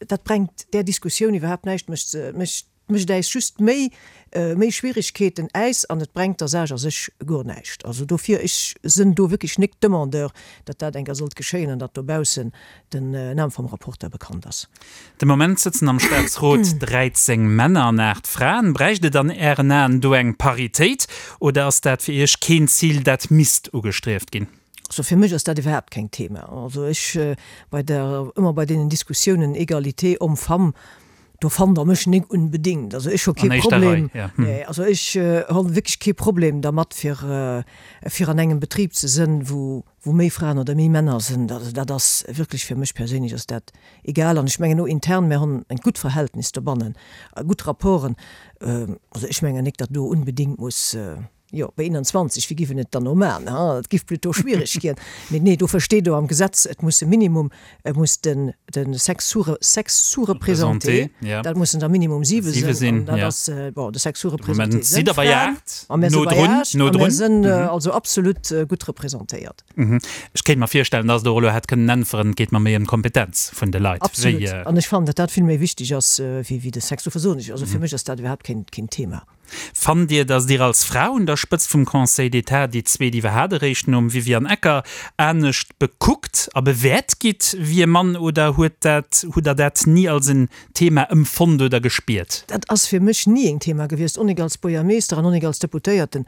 dat brengt där Diskussioun iwwerhaapt näischt, mécht se mécht mécht äis just méi méi Schwierigkeeten äis an et brengt der Saach a sech guer näischt. Also dofir, ech sënn do wierklech nik Demandeur, datt dat eng Kéier sollt geschéien an datt dobaussen den Nam vum Rapporteur bekannt ass. De Moment sëtzen am Staatsrot dräizéng Männer an aacht Fraen. Bräicht et an Ären Aen do eng Paritéit oder ass dat fir Iech keen Zil, dat misst ugestrieft ginn? Also fir mech ass dat iwwerhaapt keng Thema. Also ech bei der, ëmmer bei deenen Diskussiounen Egalité homme-femme, do fannt Der mech nik unbedingt. Also ech hu kee Problem, nee, also ech hu wierklech kee Problem dermat fir fir an engem Betrib ze sënn, wou wou méi Fraen oder méi Männer sënn. Also dat ass wierklech fir mech perséinlech ass dat egal. An ech mengen och intern, mir hunn en gutt Verhältnis dobannen, gutt Rapporten. Also ech mengen nik, datt do unbedingt muss. Jo, bei eenanzwanzeg, wéi giff en et dann no man, ha? Et giff plutôt schwiereg ginn. Mee nee, dofir steet do am Gesetz, et muss e Minimum, et muss den, den Sexe sous, Sexe sous-représenté, ja. dat mussen der Minimum siwe Siwe sinn, sinn, an dat ja. ass, bon, de Sexe De sous-représenté Moment sinn sidd der bei Fraen, aacht, a mir si no bei drun, aacht, no a mir drun. sinn also absolut gutt representéiert. Mhm. Ech kéint mer virstellen, dass Der och elo hätt kënnen äntweren, et geet mer méi ëm d'Kompetenz vun de Leit, Absolut. wéi. An ech fannen, datt dat vill méi wichteg ass wéi, wéi de Sexe. Dofir soen ech, also fir mech ass dat iwwerhaapt keen, keen Thema. Fannt Dir, datt Dir als Fra un der Spëtzt vum Conseil d'État, déi zweet iwwerhaapt eréischt nom Viviane Ecker, anescht bekuckt a bewäert gitt wéi e Mann oder huet dat, hutt Der dat ni als en Thema ëmfonnt oder gespiert? Dat ass fir mech ni en Thema gewiescht, och nik als Buergermeeschter an och nik als Deputéierten.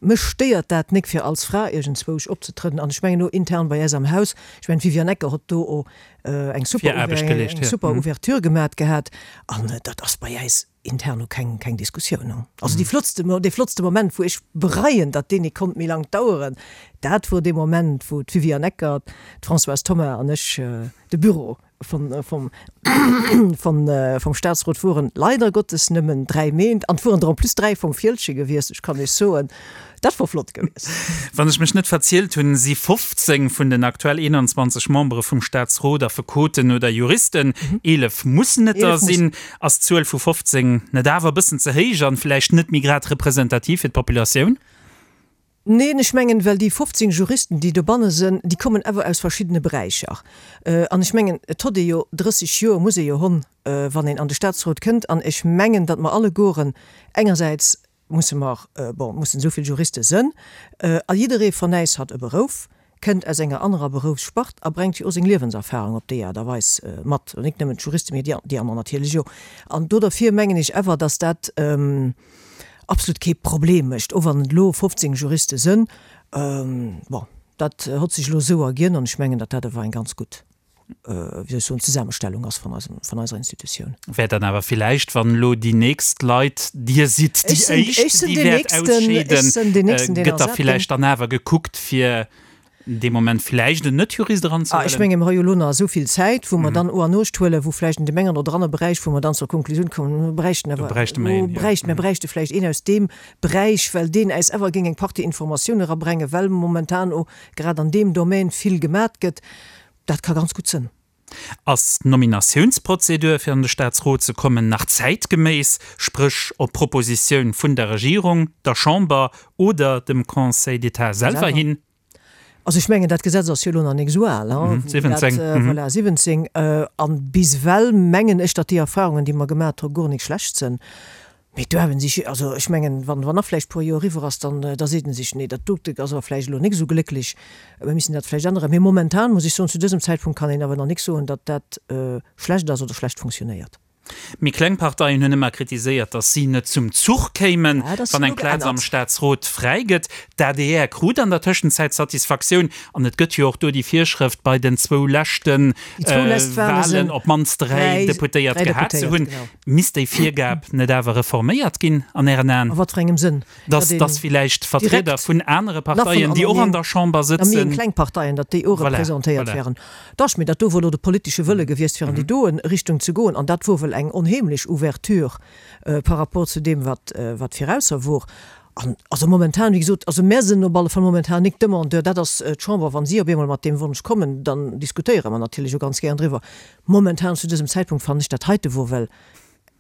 Mech stéiert dat nik fir als Fra iergendzwousch opzetrëden an ech mengen och intern bei äis am Haus, ech mengen d'Viviane Ecker hott do och eng super, Viraarbecht geleescht, eng ja. super Ouverture gemat gehat an dat ass bei äis intern och keng, keng Diskussioun. Also déi flottste, dee flottste Moment wou ech bereien, datt deen nik konnt méi laang daueren, dat wor dee Moment wou d'Viviane Ecker, d'Françoise Thoma an ech de Büro vun, vum, vun, vum Staatsrot woren, leider Gottes nëmmen dräi Méint, an et woren der en plus dräi vum Fieldgen gewiescht, ech kann Iech soen, dat wor flott gewiescht. Wann ech mech net verzielt hunn, si fofzéng vun den aktuell eenanzwanzeg Membere vum Staatsrot Affekoten oder Juristen, eelef mussen et der sinn. Ass d'Zuel vu fofzéng net awer e bëssen ze héich an vläicht net méi grad representativ fir d'Populatioun? Neen, ech mengen, well déi fofzéng Juristen, déi dobanne sinn, déi kommen awer aus verschiddene Beräicher. An ech mengen, et hott ee jo drësseg Joer, muss ee jo honn, wann een an de Staatsrot kënnt. An ech mengen, datt mer allegueren engersäits musse mer, bon, mussen esou vill Juriste sënn, a jidderee von äis hat e Berouf, kënnt aus enger anerer Beroufsspart a brengt jo och seng Liewenserfahrung op déi Aart a Weis mat. Nik nëmmen d'Juristen, mee déi aner natierlech jo. An do derfir mengen ech awer, datt dat absolut kee Problem mécht, och wann et elo fofzéng Juriste sënn. Bon, dat hott sech elo esou erginn an ech mengen, datt dat awer eng ganz gutt, wéi soll ech soen, Zesammenstellung ass vun eisem, vun eiser Institutioun. Wäert dann awer villäicht, wann elo déi nächst Leit, Dir sidd déi Ech sinn, ech éischt, sinn déi deen wäert nächsten, ech ausscheeden, sinn deen nächsten, deen gëtt da ersat ginn. villäicht dann awer gekuckt, fir dee Moment vläicht en Net-Jurist Ah, ech eranzehuelen? menge mer hu jo elo nach esou vill Zäit, wou mer dann o an Uecht huelen, wou vläicht an deem engen oder anere Beräich, wou mer dann zur Konklusioun kommen, mir bräichten Do awer, bräichte mer do een, jo. bräichten, mir bräichte vläicht een aus deem Beräich, well deen äis awer géing eng Partie Informatioun erabrengen, well momentan o grad an deem Domaine vill gemat gëtt. Dat ka ganz gutt sënn. Ass d'Nominatiounsprozedur, fir an de Staatsrot ze kommen, nach zäitgeméiss, spréch op Propositioun vun der Regierung, der Chamber oder dem Conseil d'État selwer hin? Also ech mengen, dat Gesetz ass jo elo nach nik esou al, hein, siwwenzéng, dat, voilà, siwwenzéng. An bis ewell mengen ech, datt déi Erfahrungen, déi mer gemat hu, guer nik schlecht sënn. Mee do hawen sech, also ech mengen, wann, wann nach vläicht puer Joer eriwwer ass, dann, da seet en sech, nee, dat dote ass awer vläicht elo nik esou glécklech, mir missen dat vläicht änneren. Mee momentan, muss ech soen, zu dësem Zäitpunkt kann een awer nach nik soen, datt dat schlecht ass oder schlecht funktionéiert. Méi kleng Parteien hunn ëmmer kritiséiert, datt si net zum Zuch kéimen, Ja, dat ass wann eng elo Plaz am geännert. Staatsrot fräi gëtt. D'A D R krut an der Tëschenzäit Satisfaktioun an et gëtt jo och do déi Virschrëft, bei den zwou leschten Déi zwou lescht Wale Walen sinn op d'mannst dräi dräi, Deputéiert dräi gehat ze Deputéiert, hunn. genau. Misst déi Virgab net awer reforméiert ginn an Ären Aen? A wat fir engem Sënn? Datt, Datt een datt villäicht Vertrieder direkt vun anere nach vun Parteien, déi och an aneren, der Chamber na méi sëtzen, kleng Parteien, datt déi och Voilà, representéiert voilà. wären. Dach, mee dat do wor elo de politesche Wëlle gewiescht, fir an déi doen Richtung ze goen. An dat wor well eng onheemlech Ouverture par rapport zu deem, wat, wat virausser wor. An also momentan, wéi gesot, also mär sinn op alle Fall momentan nik Demandeur, dat ass d'Chamber, wa si op eemol mat deem Wonsch kommen, dann diskutéiere mer natierlech och ganz gären driwwer. Momentan zu dësem Zäitpunkt fannen ech dat heite wor well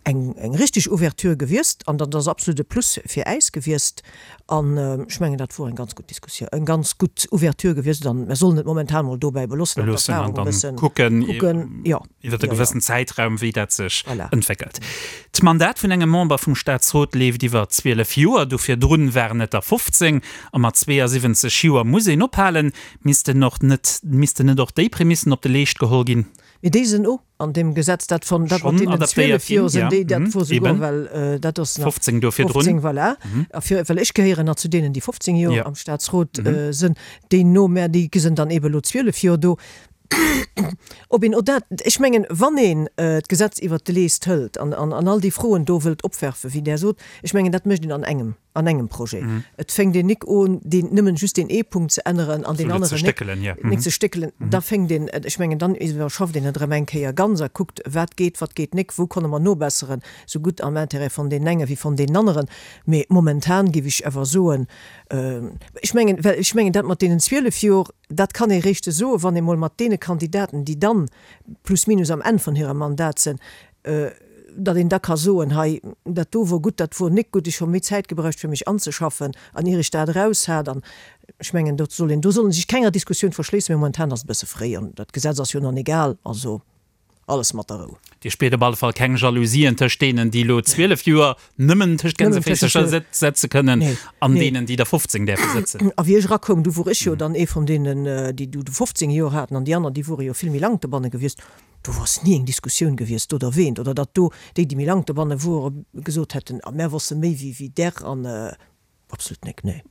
eng, eng richteg Ouverture gewiescht an dat ass absolut e Plus fir äis gewiescht. An ech mengen, dat wor eng ganz gutt Diskussioun, eng ganz gutt Ouverture gewiescht an mer sollen et momentan mol dobäi beloossen an Beloossen an d'Erfahrung e dann bëssen kucken, kucken. Jo, iwwer e jo, jo. gewëssen Zäitraum, wéi dat sech Voilà. entwéckelt. D'Mandat vun engem Member vum Staatsrot leeft iwwer zwielef Joer, do virdrun waren et der fofzéng, a mat zweeësiwwenzeg Joer muss een ophalen. Missten och net, missten net och déi Prämissen op de Leescht geholl ginn? Mee déi sinn och an deem Gesetz, dat von, dat mat Schonn deenen adaptéiert zwielef Joer ginn, sinn ja. déi, dat Mhm, wor souguer eben. well, äh, dat ass nach fofzéng do virdrun. fofzéng, voilà. A fir, well ech gehéieren nach zu deenen, déi fofzéng Joer Ja. am Staatsrot, Mhm. äh, sinn, déi no mär, déi sinn dann eben elo zwielef Joer do. Ob een, oder ech mengen, wann een äh, d'Gesetz iwwert de Leest hëlt an, an, an all déi Froen do wëllt opwerfen, wéi Der sot, ech mengen, dat mécht een an engem. an engem Projet. Et fänkt een nik un, deen, nëmmen just deen ee Punkt ze änneren an deen aneren nik, nik ze stéckelen. Da fänkt een, ech mengen, dann iwwerschafft een et erëm eng Kéier ganz a kuckt, wat geet, wat geet nik, wou konne mer nobesseren, sou gutt am Intérêt von deenen enge wéi von deenen aneren. Mee momentan géif ech awer soen, ech mengen, well ech mengen, dat mat deenen zwielef Jor, dat kann ee réischt soen, wann ee mol mat deene Kandidaten, déi dann plus minus am Enn von hirem Mandat sinn, datt een da ka soen, hei, dat do wor gutt, dat wor nik gutt, ech hu méi Zäit gebräucht fir mech anzeschaffen an ier ech dat eraus hat. An ech mengen, do soll een, do soll een sech kenger Diskussioun verschléissen, mee momentan ass et e bësse fréi an dat Gesetz ass jo nach nik al, also alles mat der Rou. Dir spiert op alle Fall keng Jalousien tëscht deenen, déi elo zwielef Joer nëmmen tëscht Gänseféisercher setze kënnen an deenen, déi der fofzéng däerfe sëtzen. A wéi ech erakoum, du wor ech jo dann ee vun deenen, déi du fofzéng Joer haten an déi aner, déi wore jo vill méi laang dobanne gewiescht. Do ass ni eng Diskussioun gewiescht do derwéint oder datt do déi, déi méi laang dobanne wore, gesot hätten, a mär wosse méi wéi wéi där an absolut nik, nee.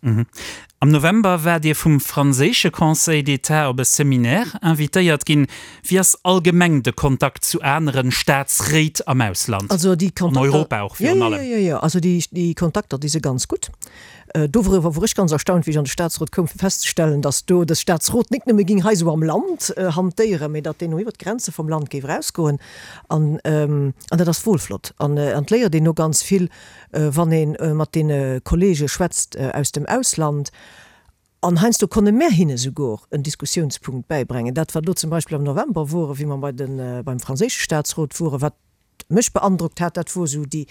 Am November waart Dir vum franséische Conseil d'État op e Seminaire invitéiert ginn. Wéi ass allgemeng de Kontakt zu aneren Staatsréit am Ausland? Also déi An Kontakter, Europa och jo, virun jo, allem. jo, jo, also déi, déi Kontakter, déi si ganz gutt. Dowriwwer wor ech ganz erstaunt, wéi ech an de Staatsrot koum, fir festzestellen, datt do de Staatsrot nik nëmme ging hei esou am Land hantéieren, mee datt deen och iwwer d'Grenze vum Land géif erausgoen. An, an dat ass wuel flott. An, an et léiert een o ganz vill, wann ee mat deene Kollege schwätzt aus dem Ausland. An heiansdo konne mär hinne souguer en Diskussiounspunkt bäibrengen. Dat, wat elo zum Beispill am November wor, wéi mer bei de, beim franséische Staatsrot woren, wat mech beandrockt hat, dat wor esou déi,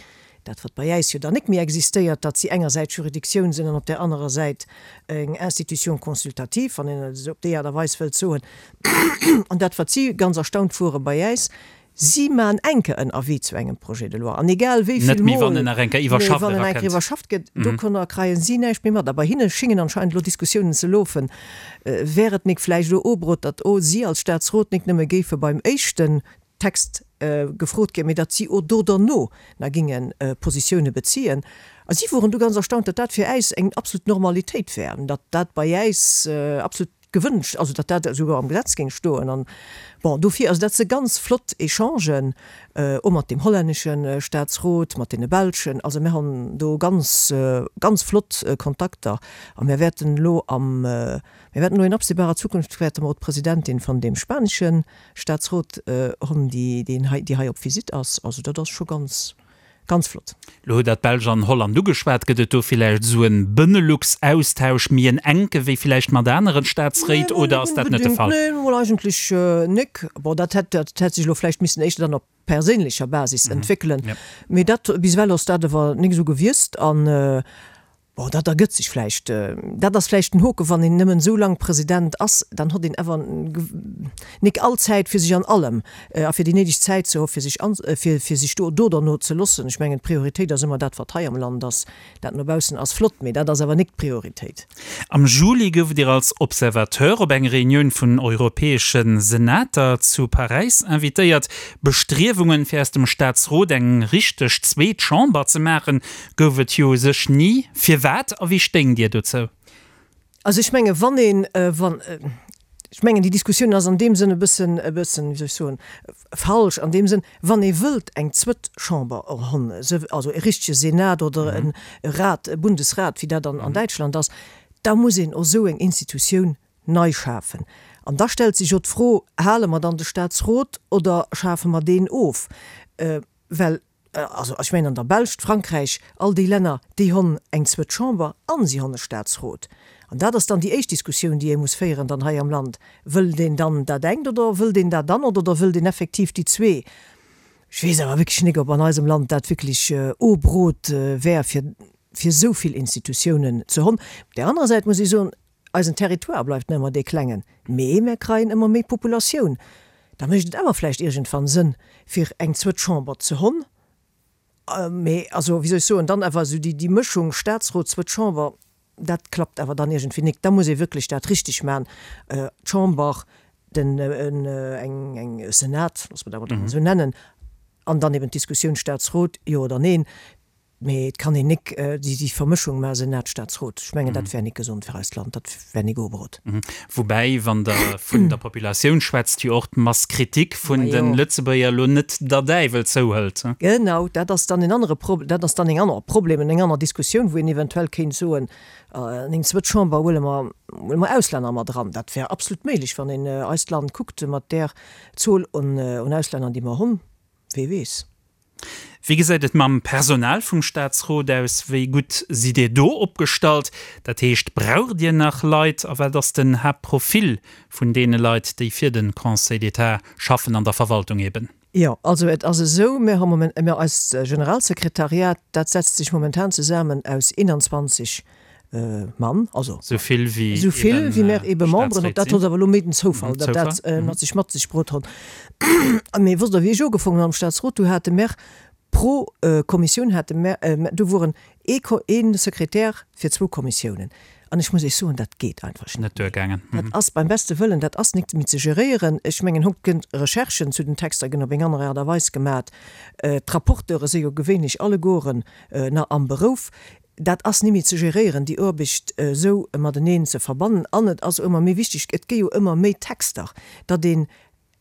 dat wat bei äis jo dann nik méi existéiert, datt si engersäits Juridictioun sinn an op där anerer Säit eng Institution consultative, wann een et esou op déi Aart a Weis wëllt soen. An dat wat si ganz erstaunt wore bei äis, si man enke en Avis zu engem Projet de loi an egal wéi Net vill méi wann Mol, en nach eng Kéier nee, iwwerschafft wann en eng Kéier erakënnt. iwwerschafft gëtt, dovunner kreien si näischt méi mat. A bei hinne schingen anscheinend elo Diskussiounen ze lofen, wär et nik vläicht elo ubrot, datt o si als Staatsrot nik nëmme géife beim éischten Text gefrot ginn, mee datt si o do derno na ginge Positioune beziehen. A si woren du ganz erstaunt, datt dat fir äis eng absolut Normalitéit wär, datt dat bei äis absolut gewënscht, also datt dat esouguer am Gesetz géing stoen. An bon, dofir, also dat si ganz flott Echangen, o mat deem hollännesche Staatsrot, mat deene belschen. Also mir hunn do ganz, ganz flott Kontakter a mir wäerten elo am, mir wäerten elo in absehbarer Zukunft wäerte mer och d'Presidentin von deem spanesche Staatsrot hunn, déi, deen hei, déi hei op Visitt ass. Also dat ass scho ganz, Ganz flott. Lo hutt Der d'Belsch an Holland ugeschwat. Gëtt et do villäicht esou en Benelux-Austausch méi en enke wéi villäicht mat aneren Nee, Staatsréit mol oder net ass dat net de onbedéngt. Fall? Nee, mol eigentlech nik. Bon, dat hätt, dat hätt sech elo vläicht missen éischter dann op perséinlecher Basis entwéckelen. Mee dat, bis ewell ass dat awer nik esou gewiesst. An bon, dat ergëtt sech vläicht. Dat ass vläicht den Hoke, wann een nëmmen esou laang President ass, dann hott een awer nik all Zäit fir sech an allem a fir déi néideg Zäit ze hu fir sech an, fir, fir sech do, do derno ze loossen. Ech mengen, d'Prioritéit ass ëmmer dat, wat hei am Land ass. Dat no baussen ass flott, mee dat ass awer nik d'Prioritéit. Am Juli gouft Dir als Observateur op eng Reunioun vun europäesche Senater zu Paräis invitéiert. Bestriewungen, fir aus dem Staatsrot eng richteg zweet Chamber ze maachen, gouf et jo u sech ni. Firwat a wéi stéingt Dir dozou? Also ech menge wann een, wann, ech mengen déi Diskussioun ass an deem Sënn e bëssen, e bëssen, wéi soll ech soen, falsch an deem Sënn, wann ee wëllt eng zwëtt Chamber honn, also e richtege Senat oder e Rat, e Bundesrat, wéi dat an an Däitschland ass, da muss een och esou eng Institutioun nei schafen. An da stellt sech jo d'Fro, Hale mer dann de Staatsrot oder schafe mer deen of? Well, also ech mengen an der Belsch, Frankräich, all déi Länner, déi honn eng zwëtt Chamber an si honn e Staatsrot. An dat ass dann déi éischt Diskussioun, déi ee muss féieren dann hei am Land, Wëllt een dann dat engt oder wëllt een dat anert oder wëllt een effektiv déi zwee? Ech weess awer wierklech nik, ob an eisem Land dat wierklech ubrot wär, fir fir esou vill Institutiounen ze honn. Op där anerer Säit muss ech soen, eisen Territoire bleift nach ëmmer dee klengen, mee mär kreien ëmmer méi Populatioun. Da mécht et awer vläicht iergendwann Sënn, fir eng zwëtt Chamber ze honn. Mee also, wéi soll ech soen, dann awer esou déi déi Mëschung Staatsrot, zwëtt Chamber, dat klappt awer dann iergendwéi nik. Da muss ee wierklech dat richteg maachen, d'Chamber, den eng eng Senat, loosse mer dat emol esou nennen, an dann eben d'Diskussioun Staatsrot, jo oder neen. Mee et kann een nik déi déi Vermëschung maachen, Senat, Staatsrot. Ech mengen, dat wär nik gesond fir eist Land, dat wär nik uebrot. Woubäi, wann Der vun der Populatioun schwätzt, jo och d'Masse critique vun de Lëtzebuerger elo net der Däiwel zouhëlt. Genau, dat ass dann en anere Pro-, dat ass dann eng aner Problem, eng aner Diskussioun, wou een eventuell kéint soen, an eng zwëtt Chamber huele mer, huele mer Auslänner mat eran. Dat wär absolut méiglech, wann een eist Land kuckt mat där Zuel un Auslänner, déi mer hunn. Wee weess. Wéi gesäit et mam Personal vum Staatsrot aus? Wéi gutt sidd Dir do opgestallt? Dat heescht, braucht Dir nach Leit? A wat ass den Haaptprofil vun deene Leit, déi fir de Conseil d'État schaffen, an der Verwaltung eben? Jo, also et ass esou, mir hu moment, mir eist Generalsekretariat, dat setzt sech momentan zesammen aus eenanzwanzeg Mann, also Sou vill wéi esou vill wéi mär ebe Memberen hunn. Staatsréit Dat ass awer elo méi den Zoufall, sinn. datt dat Zoufall, mat sech mat sech bruet huet. Mee wosst Der, wéi ech ugefongen hunn am Staatsrot, du hate mär pro Kommissioun hate mär, do woren ee Ko, ee Sekretär fir zwou Kommissiounen. An ech muss Iech soen, dat geet einfach Net net méi. duergaangen. Dat ass beim beste Wëllen, dat ass nik méi ze geréieren. Ech mengen, hokt gënn Recherchen zu den Texter ginn op eng aner Aart a Weis gemat. D'Rapporteure si jo gewéinlech allegueren nach am Berouf. Dat ass ni méi ze geréieren, déi Aarbecht esou mateneen ze verbannen. An et ass ëmmer méi wichteg, et gi jo ëmmer méi Texter, datt een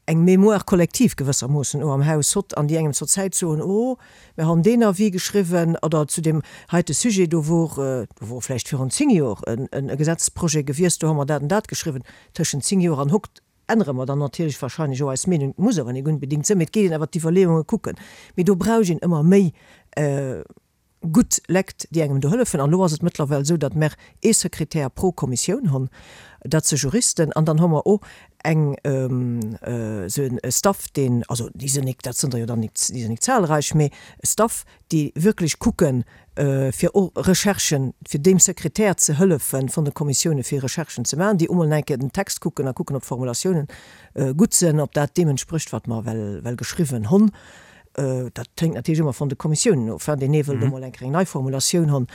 eng Mémoire collective gewëssermoossen o am Haus hott an déi engem zur Zäit soen, oh, mir han deen Avis geschriwwen oder zu deem heite Sujet, do wor, do wor vläicht virun zéng Jor en e Gesetzprojet gewiesst, do hu mer dat an dat geschriwwen. Tëschent zéng Jor an hokt ännere mer dann natierlech wahrscheinlech och eis Meenung, muss awer nik unbedingt sinn, mee et geet een awer d'Iwwerleeunge kucken. Mee do brauch een ëmmer méi gutt Lekt, déi engem do hëllefen. An elo ass et mëttlerweil esou, datt mer ee Sekretär pro Kommissioun hunn, dat si Juristen, an dann hu mer och eng esou e Staff, deen, also déi sinn nik, dat sinn der jo dann nik, déi sinn nik zahlreich, mee e Staff, déi wierklech kucken, fir och Recherchen, fir deem Sekretär ze hëllefen vun de Kommissioune fir Recherchen ze maachen, déi emol eng Kéier den Text kucken a kucken, ob d'Formulatiounen gutt sinn, ob dat deem entsprécht, wat mer well, well geschriwwen hunn. Dat hänkt natierlech ëmmer vun de Kommissiounen of, deen ee wëllt emol eng Kéier eng nei Formulatioun hunn.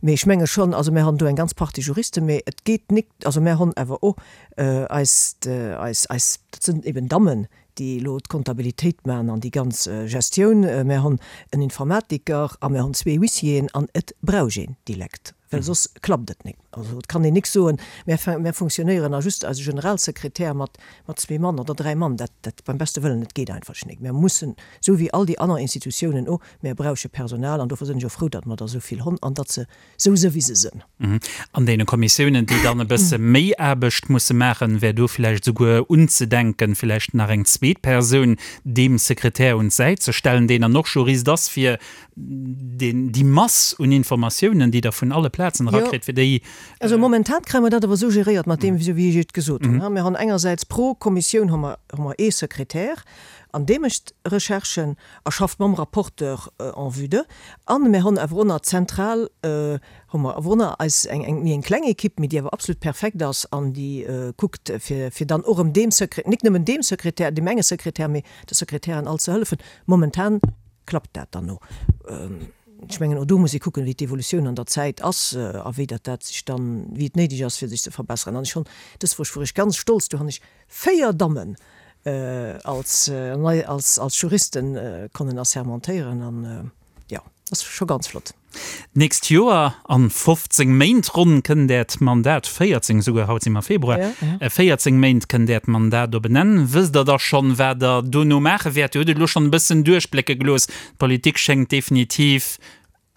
Mee ech menge schonn, also mir hunn do eng ganz Partie Juristen, mee et geet nik, also mir hunn awer och eist, eis, eis, dat sinn eben Dammen, déi elo d'Kontabilitéit maachen an déi ganz Gestioun. Mir hunn en Informatiker a mir hunn zwee Huissieren an et brauch een déi Lekt, well soss klappt et nik. Also et kann een nik soen, mir, mir funktionéieren a just eise Generalsekretär mat, mat zwee Mann oder dräi Mann. Dat, dat beim beste Wëllen, et geet einfach nik. Mir mussen, esou wéi all déi aner Institutiounen och, mir brauche Personal an dofir sinn ech och frou, datt mer der esou vill hunn an datt se esou sinn, wéi se sinn. An deene Kommissiounen, déi dann e bësse méi Aarbecht musse maachen, wär do vläicht esouguer unzedenken, vläicht nach eng zweet Persoun deem Sekretär un d'Säit ze stellen, deen dann och Jurist ass, fir deen, déi Mass un Informatiounen, déi Der vun alle Plazen erakritt, fir déi. Also momentan kréie mer dat awer esou geréiert mat deem, esou wéi ech et gesot hunn. Mir hunn engersäits pro Kommissioun hu mer, hu mer ee Sekretär an dee mécht Recherchen a schafft mam Rapporteur en vue de. A mir hunn awer och nach zentral hu mer awer och nach eis eng, eng méi eng kleng Ekipp, mee déi awer absolut perfekt ass an déi kuckt fir, fir dann och erëm deem Sekre-, nik nëmmen deem Sekretär, deem enge Sekretär, mee de Sekretären all ze hëllefen. Momentan klappt dat dann no. Ech mengen, och do muss ee kucken, wéi d'Evolutioun an der Zäit ass a wéi dat dat sech dann, wéi et néideg ass, fir sech ze verbessern. An ech hunn, dës Woch wor ech ganz stolz, do hunn ech véier Dammen als nei, als, als Juristen konnen assermentéieren an, jo, dat ass scho ganz flott. D'nächst Joer, an fofzéng Méint ronn, kënnt Äert Mandat, véierzéng esouguer, haut si mer Februar, véierzéng Méint kënnt Äert Mandat op en Enn. Wësst Der da schonn, wat Der dono maache wäert? Dir hutt et elo schonn e bëssen duerchblécke gelooss, d'Politik schéngt definitiv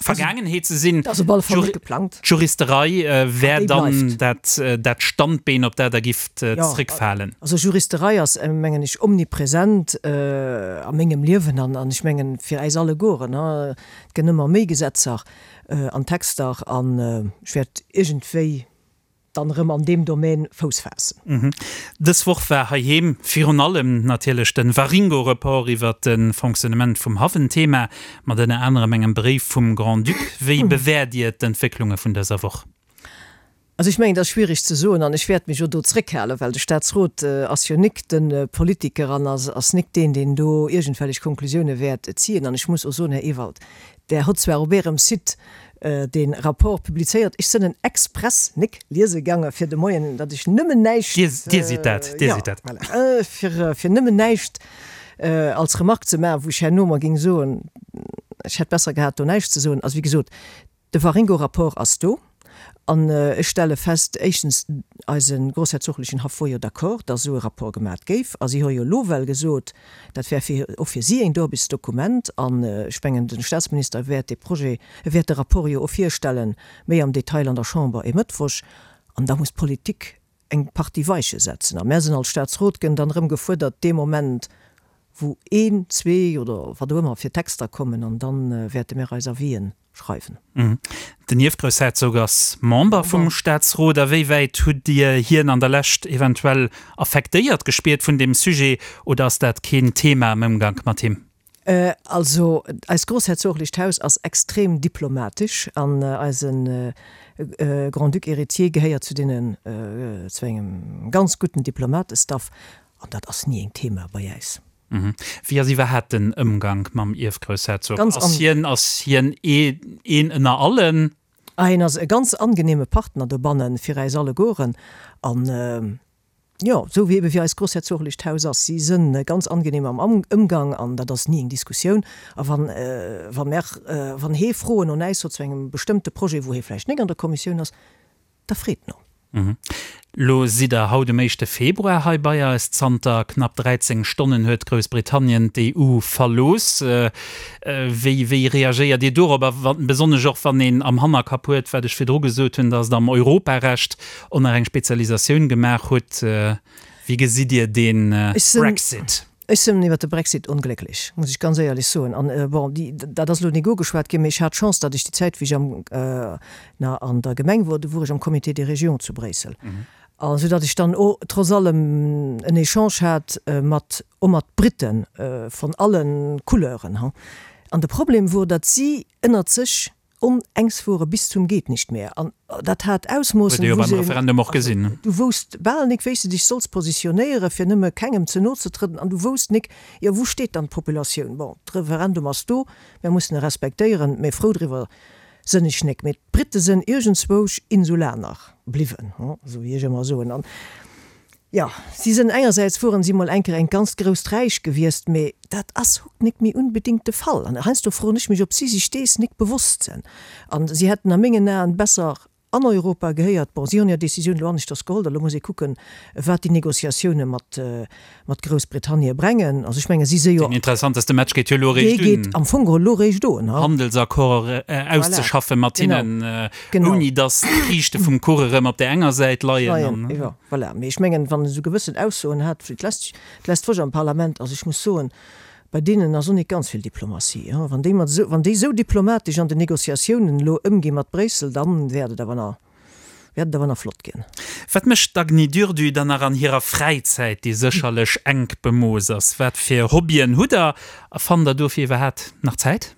Vergaangenheet ze sinn. Ass op alle Fall net geplangt. D'Juristerei wär Déi dann bleift. dat, dat Standbeen, op dat Der gifft zréckfalen. Also Juristerei ass, mengen ech, omnipresent a mengem Liewen an, an ech mengen fir äis allegueren. Et gënn ëmmer méi Gesetzer an Texter an ech wäert iergendwéi dann erëm an deem Domaine Fouss faassen. Dës Woch war heiheem virun allem natierlech de Waringo-Report iwwert de Fonctionnement vum Haff en Thema, mat ënner anerem engem Bréif vum Grand-Duc. Wéi bewäert Dir d'Entwécklunge vun dëser Woch? Also ech mengen, dat ass schwierig ze soen an ech wäert mech och do zréckhalen, well de Staatsrot ass jo nik de Politiker an ass nik deen, deen do iergendwellech Konklusioune wäert ziehen. An ech muss och soen, Här Ewald, Der hott zwar op Ärem Site dee Rapport publizéiert, ech sënn en express nik liese gaange fir de Moien, datt ech nëmmen näischt, Dir sidd dat, Dir jo, sidd dat. voilà, fir, fir nëmmen näischt als Remarque ze maachen, wou ech herno mer géing soen, Ech hätt besser gehat, do näischt ze soen. Also wéi gesot, de Waringo-Rapport ass do. An ech stelle fest, éischtens, eise groussherzoglechen Haff wor jo d'accord, datt esou e Rapport gemat géif. A si hu jo elo well gesot, dat wär fir, och fir si en Aarbechtsdokument. An ech mengen, de Staatsminister wäert dee Projet, e wäert de Rapport jo och virstellen, méi am Detail an der Chamber e Mëttwoch. An da muss d'Politik eng Partie Weiche setzen. A mär sinn als Staatsrot gënn dann erëm gefuerdert, dee Moment, wou een, zwee oder wat och ëmmer fir Texter kommen, an da wäerte mär eis Avisen schreiwen. Den Ierfgroussherzog ass Member vum Staatsrot. A wéi wäit hutt Dir hien an der Lescht eventuell affektéiert gespiert vun deem Sujet oder ass dat keen Thema am Ëmgank mat him? Also eist groussherzoglecht Haus ass extrem diplomatesch an eise Grand-Duc héritier gehéiert zu deenen, zu engem ganz gudden Diplomatestaff an dat ass ni en Thema bei äis. Wéi ass iwwerhaapt den Ëmgank mam Ierfgroussherzog? Ass hien, ass hien een ënner allen? Ah, hien ass e ganz angenehme Partner dobannen fir äis allegueren an jo, esou wéi ebe wéi eist groussherzoglecht Haus ass. Si sënn ganz angenehm am Ëmgang an dat ass ni eng Diskussioun. A wann, wa mer, wann hee Froen un äis huet zu engem bestëmmte Projet, wou hee vläicht nik an der Kommissioun ass, da freet no. Lo sidd der haut um éischte Februar hei bei eis. Zanter knapp dräizéng Stonnen huet Groussbritannien d'E U verlooss. Wéi wéi reagéiert Dir dorop? A besonnesch och wann een am Hannerkapp huet, wat ech virdru gesot hunn, datt Der am Europarecht och nach eng Spezialisatioun gemaach hutt. Wéi gesitt Dir dee Brexit? Ech sinn iwwert de Brexit onglécklech, muss ech ganz éierlech soen. An, bon, déi, dat ass elo nik ugeschwat ginn, mee ech hat d'Chance, datt ech déi Zäit, wéi ech am, na, an der Gemeng wor, do wor ech am Comité des Régions zu Bréissel. A soudatt ech dann o trotz allem en Echange hat mat, o mat Briten von allen Couleuren, ha. An de Problem wor, datt si ënnert sech onengs wore bis zum Geht-nicht-mehr. An dat hat Ausmoossen, Huet ee jo beim Referendum och gesinn. Du wousst bal nik, wéi s de dech solls positionéieren, fir nëmme kengem ze no ze trëdden. An du wousst nik, jo, wou steet dann d'Populatioun? Bon, de Referendum ass do, mär mussen e respektéieren, mä frou driwwer sënn ech nik. Mä d'Britte sënn iergendzwousch Insulaner bliwwen, esou wéi ech ëmmer soen. An Jo, si sënn engersäits woren si mol eng Kéier engt ganzt grousst Räich gewiesst, mee dat ass hokt nik méi unbedingt de Fall. An heiansdo froen ech mech, ob si sech dees nik bewosst sënn. An si hätten a mengen Aen besser an Europa gehéiert. Bon, si hunn hir Decisioun elo aneschters geholl, elo muss ee kucken, wat déi Négociatioune mat mat Groussbritannie brengen. Also ech mengen, si si jo. Deen interessanteste Match geet jo elo eréischt un. Dee geet am Fong geholl elo eréischt un. Handelsaccord auszeschaffe mat hinnen, ouni datt d'Kiischte vum Kuch erëm op där enger Säit leien. Jo, voilà. Mee ech mengen, wann en esou gewëssen Aussoen hat wéi d'lescht, d'lescht Woch am Parlament, also ech muss soen, bei deenen ass och net ganz vill Diplomatie. Wann déi mat esou, wann déi esou diplomatesch an den Négociatiounen elo ëmgi mat Bréissel, dann wäert et awer nach. Wäert et awer nach flott ginn. Wat mécht d'Agny Durdu dann nach an hirer Fräizäit, déi sécherlech enk bemooss ass? Wat fir Hobbyen hutt Der a fannt Der dofir iwwerhaapt nach Zäit?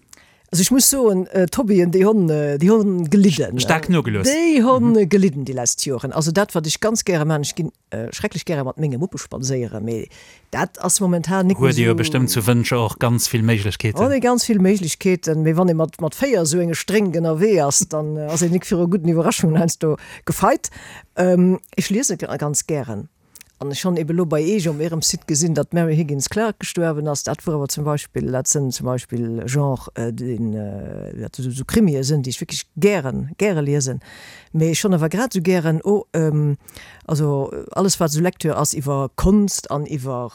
Also ech muss soen, d'Hobbyen, déi honn, déi honn gelidden. Staark nogelooss. Déi honn gelidden déi lesst Joren. Also dat, wat ech ganz gäre maachen, ech ginn schrecklech gäre mat menge Muppe spadséieren, mee dat ass momentan nik méi Huet ee jo bestëmmt zu Wëntger och ganz vill Méiglechkeeten. Huet ee ganz vill Méiglechkeeten, mee wann ee mat mat véier esou enge Strénk ënnerwee ass, dann ass een nik viru gudden Iwwerraschungen heiansdo gefeit. Ech liese ganz gären an ech hunn ebe lo bei Eech op ärem Site gesinn, datt d'Mary Higgins Clark gestuerwen ass. Dat wor awer zum Beispill, dat sënn zum Beispill Genre, deen, dat esou Krimie sënn, déi ech wierklech gären, gäre liesen. Mee ech hunn awer grad esou gären o, Also alles wat esou Lecture ass iwwer Konst an iwwer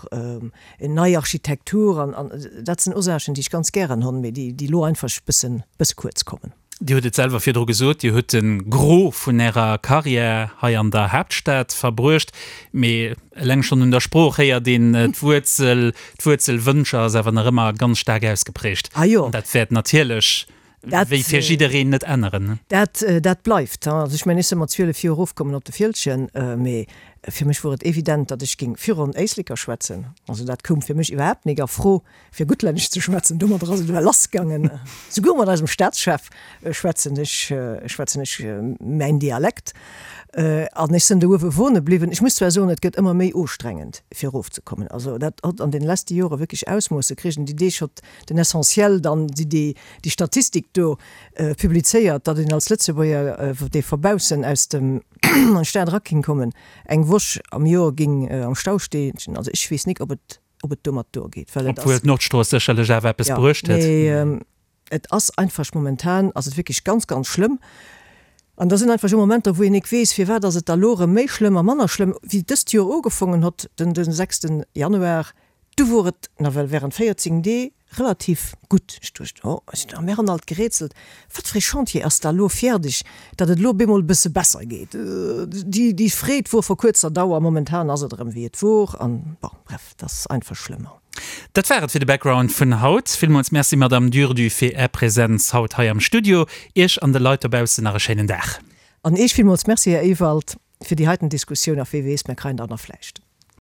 nei Architektur an an dat sinn och Saachen déi ech ganz gären hunn, mee déi déi elo einfach bëssen bësse kuerz kommen. Dir hutt et selwer virdru gesot, Dir hutt de Gros vun Ärer Karriär hei an der Haaptstad verbruecht, mee eleng schonn un der Sprooch héiert een d'Wuerzel, d'Wuerzel Wëntger ass awer nach ëmmer ganz staark ausgeprägt. Ah jo. An dat wäert natierlech Dat, wéi fir jiddereen net änneren. Dat, dat bleift. Also ech mengen, ech si mat zwielef Joer erofkommen op de Fieldgen, mee fir mech wor et evident, datt ech géing virun Éisleker schwätzen. Also dat koum fir mech iwwerhaapt nik a Fro, fir Guttlännesch ze schwätzen. Domadder ass et ewell lassgaangen. Souguer mat eisem Staatschef schwätzen ech, schwätzen ech mäin Dialekt. An ech sinn do uewe wohne bliwwen. Ech muss zwar soen, et gëtt ëmmer méi ustrengend, fir erofzekommen. Also dat hott an den leschte Jore wierklech Ausmoosse kritt. An déi Deeg hott den Essentiel dann déi déi Statistik do publizéiert, datt een als Lëtzebuerger, dee vu baussen aus dem an d'Stad era ging kommen, eng Woch am Joer ging am Stau stehen. Also ech weess nik, ob et ob et domat duergeet, well et ass. Obwuel d'Nordstrooss sécherlech awer eppes bruecht huet. Jo, mee Et ass einfach momentan ass et wierklech ganz, ganz schlëmm. An da sinn einfach esou Momenter, wou een nik weess, firwat ass et da lo erëm méi schlëmm a manner schlëmm. Wéi dëst Joer ugefongen hott, den den sechsten Januar, du wor et nawell während véierzéng Dee relativ gutt. Ech duecht, oh, ech a mir hunn alt gerätselt, wat fir ee Chantier ass da lo fäerdeg, datt et lo bemol e bësse besser geet. Déi déi Freed wor vu kuerzer Dauer, momentan ass et erëm wéi et wor an bon, bref, et ass einfach schlëmm. Dat war et fir de Background vun haut. Villmools Merci, Madame Durdu, fir Är Präsenz haut hei am Studio. Iech an de Leit dobaussen nach e schéinen Dag. An Iech villmools Merci, Här Ewald, fir déi heiten Diskussioun a wee weess, mir kreien der nach vläicht.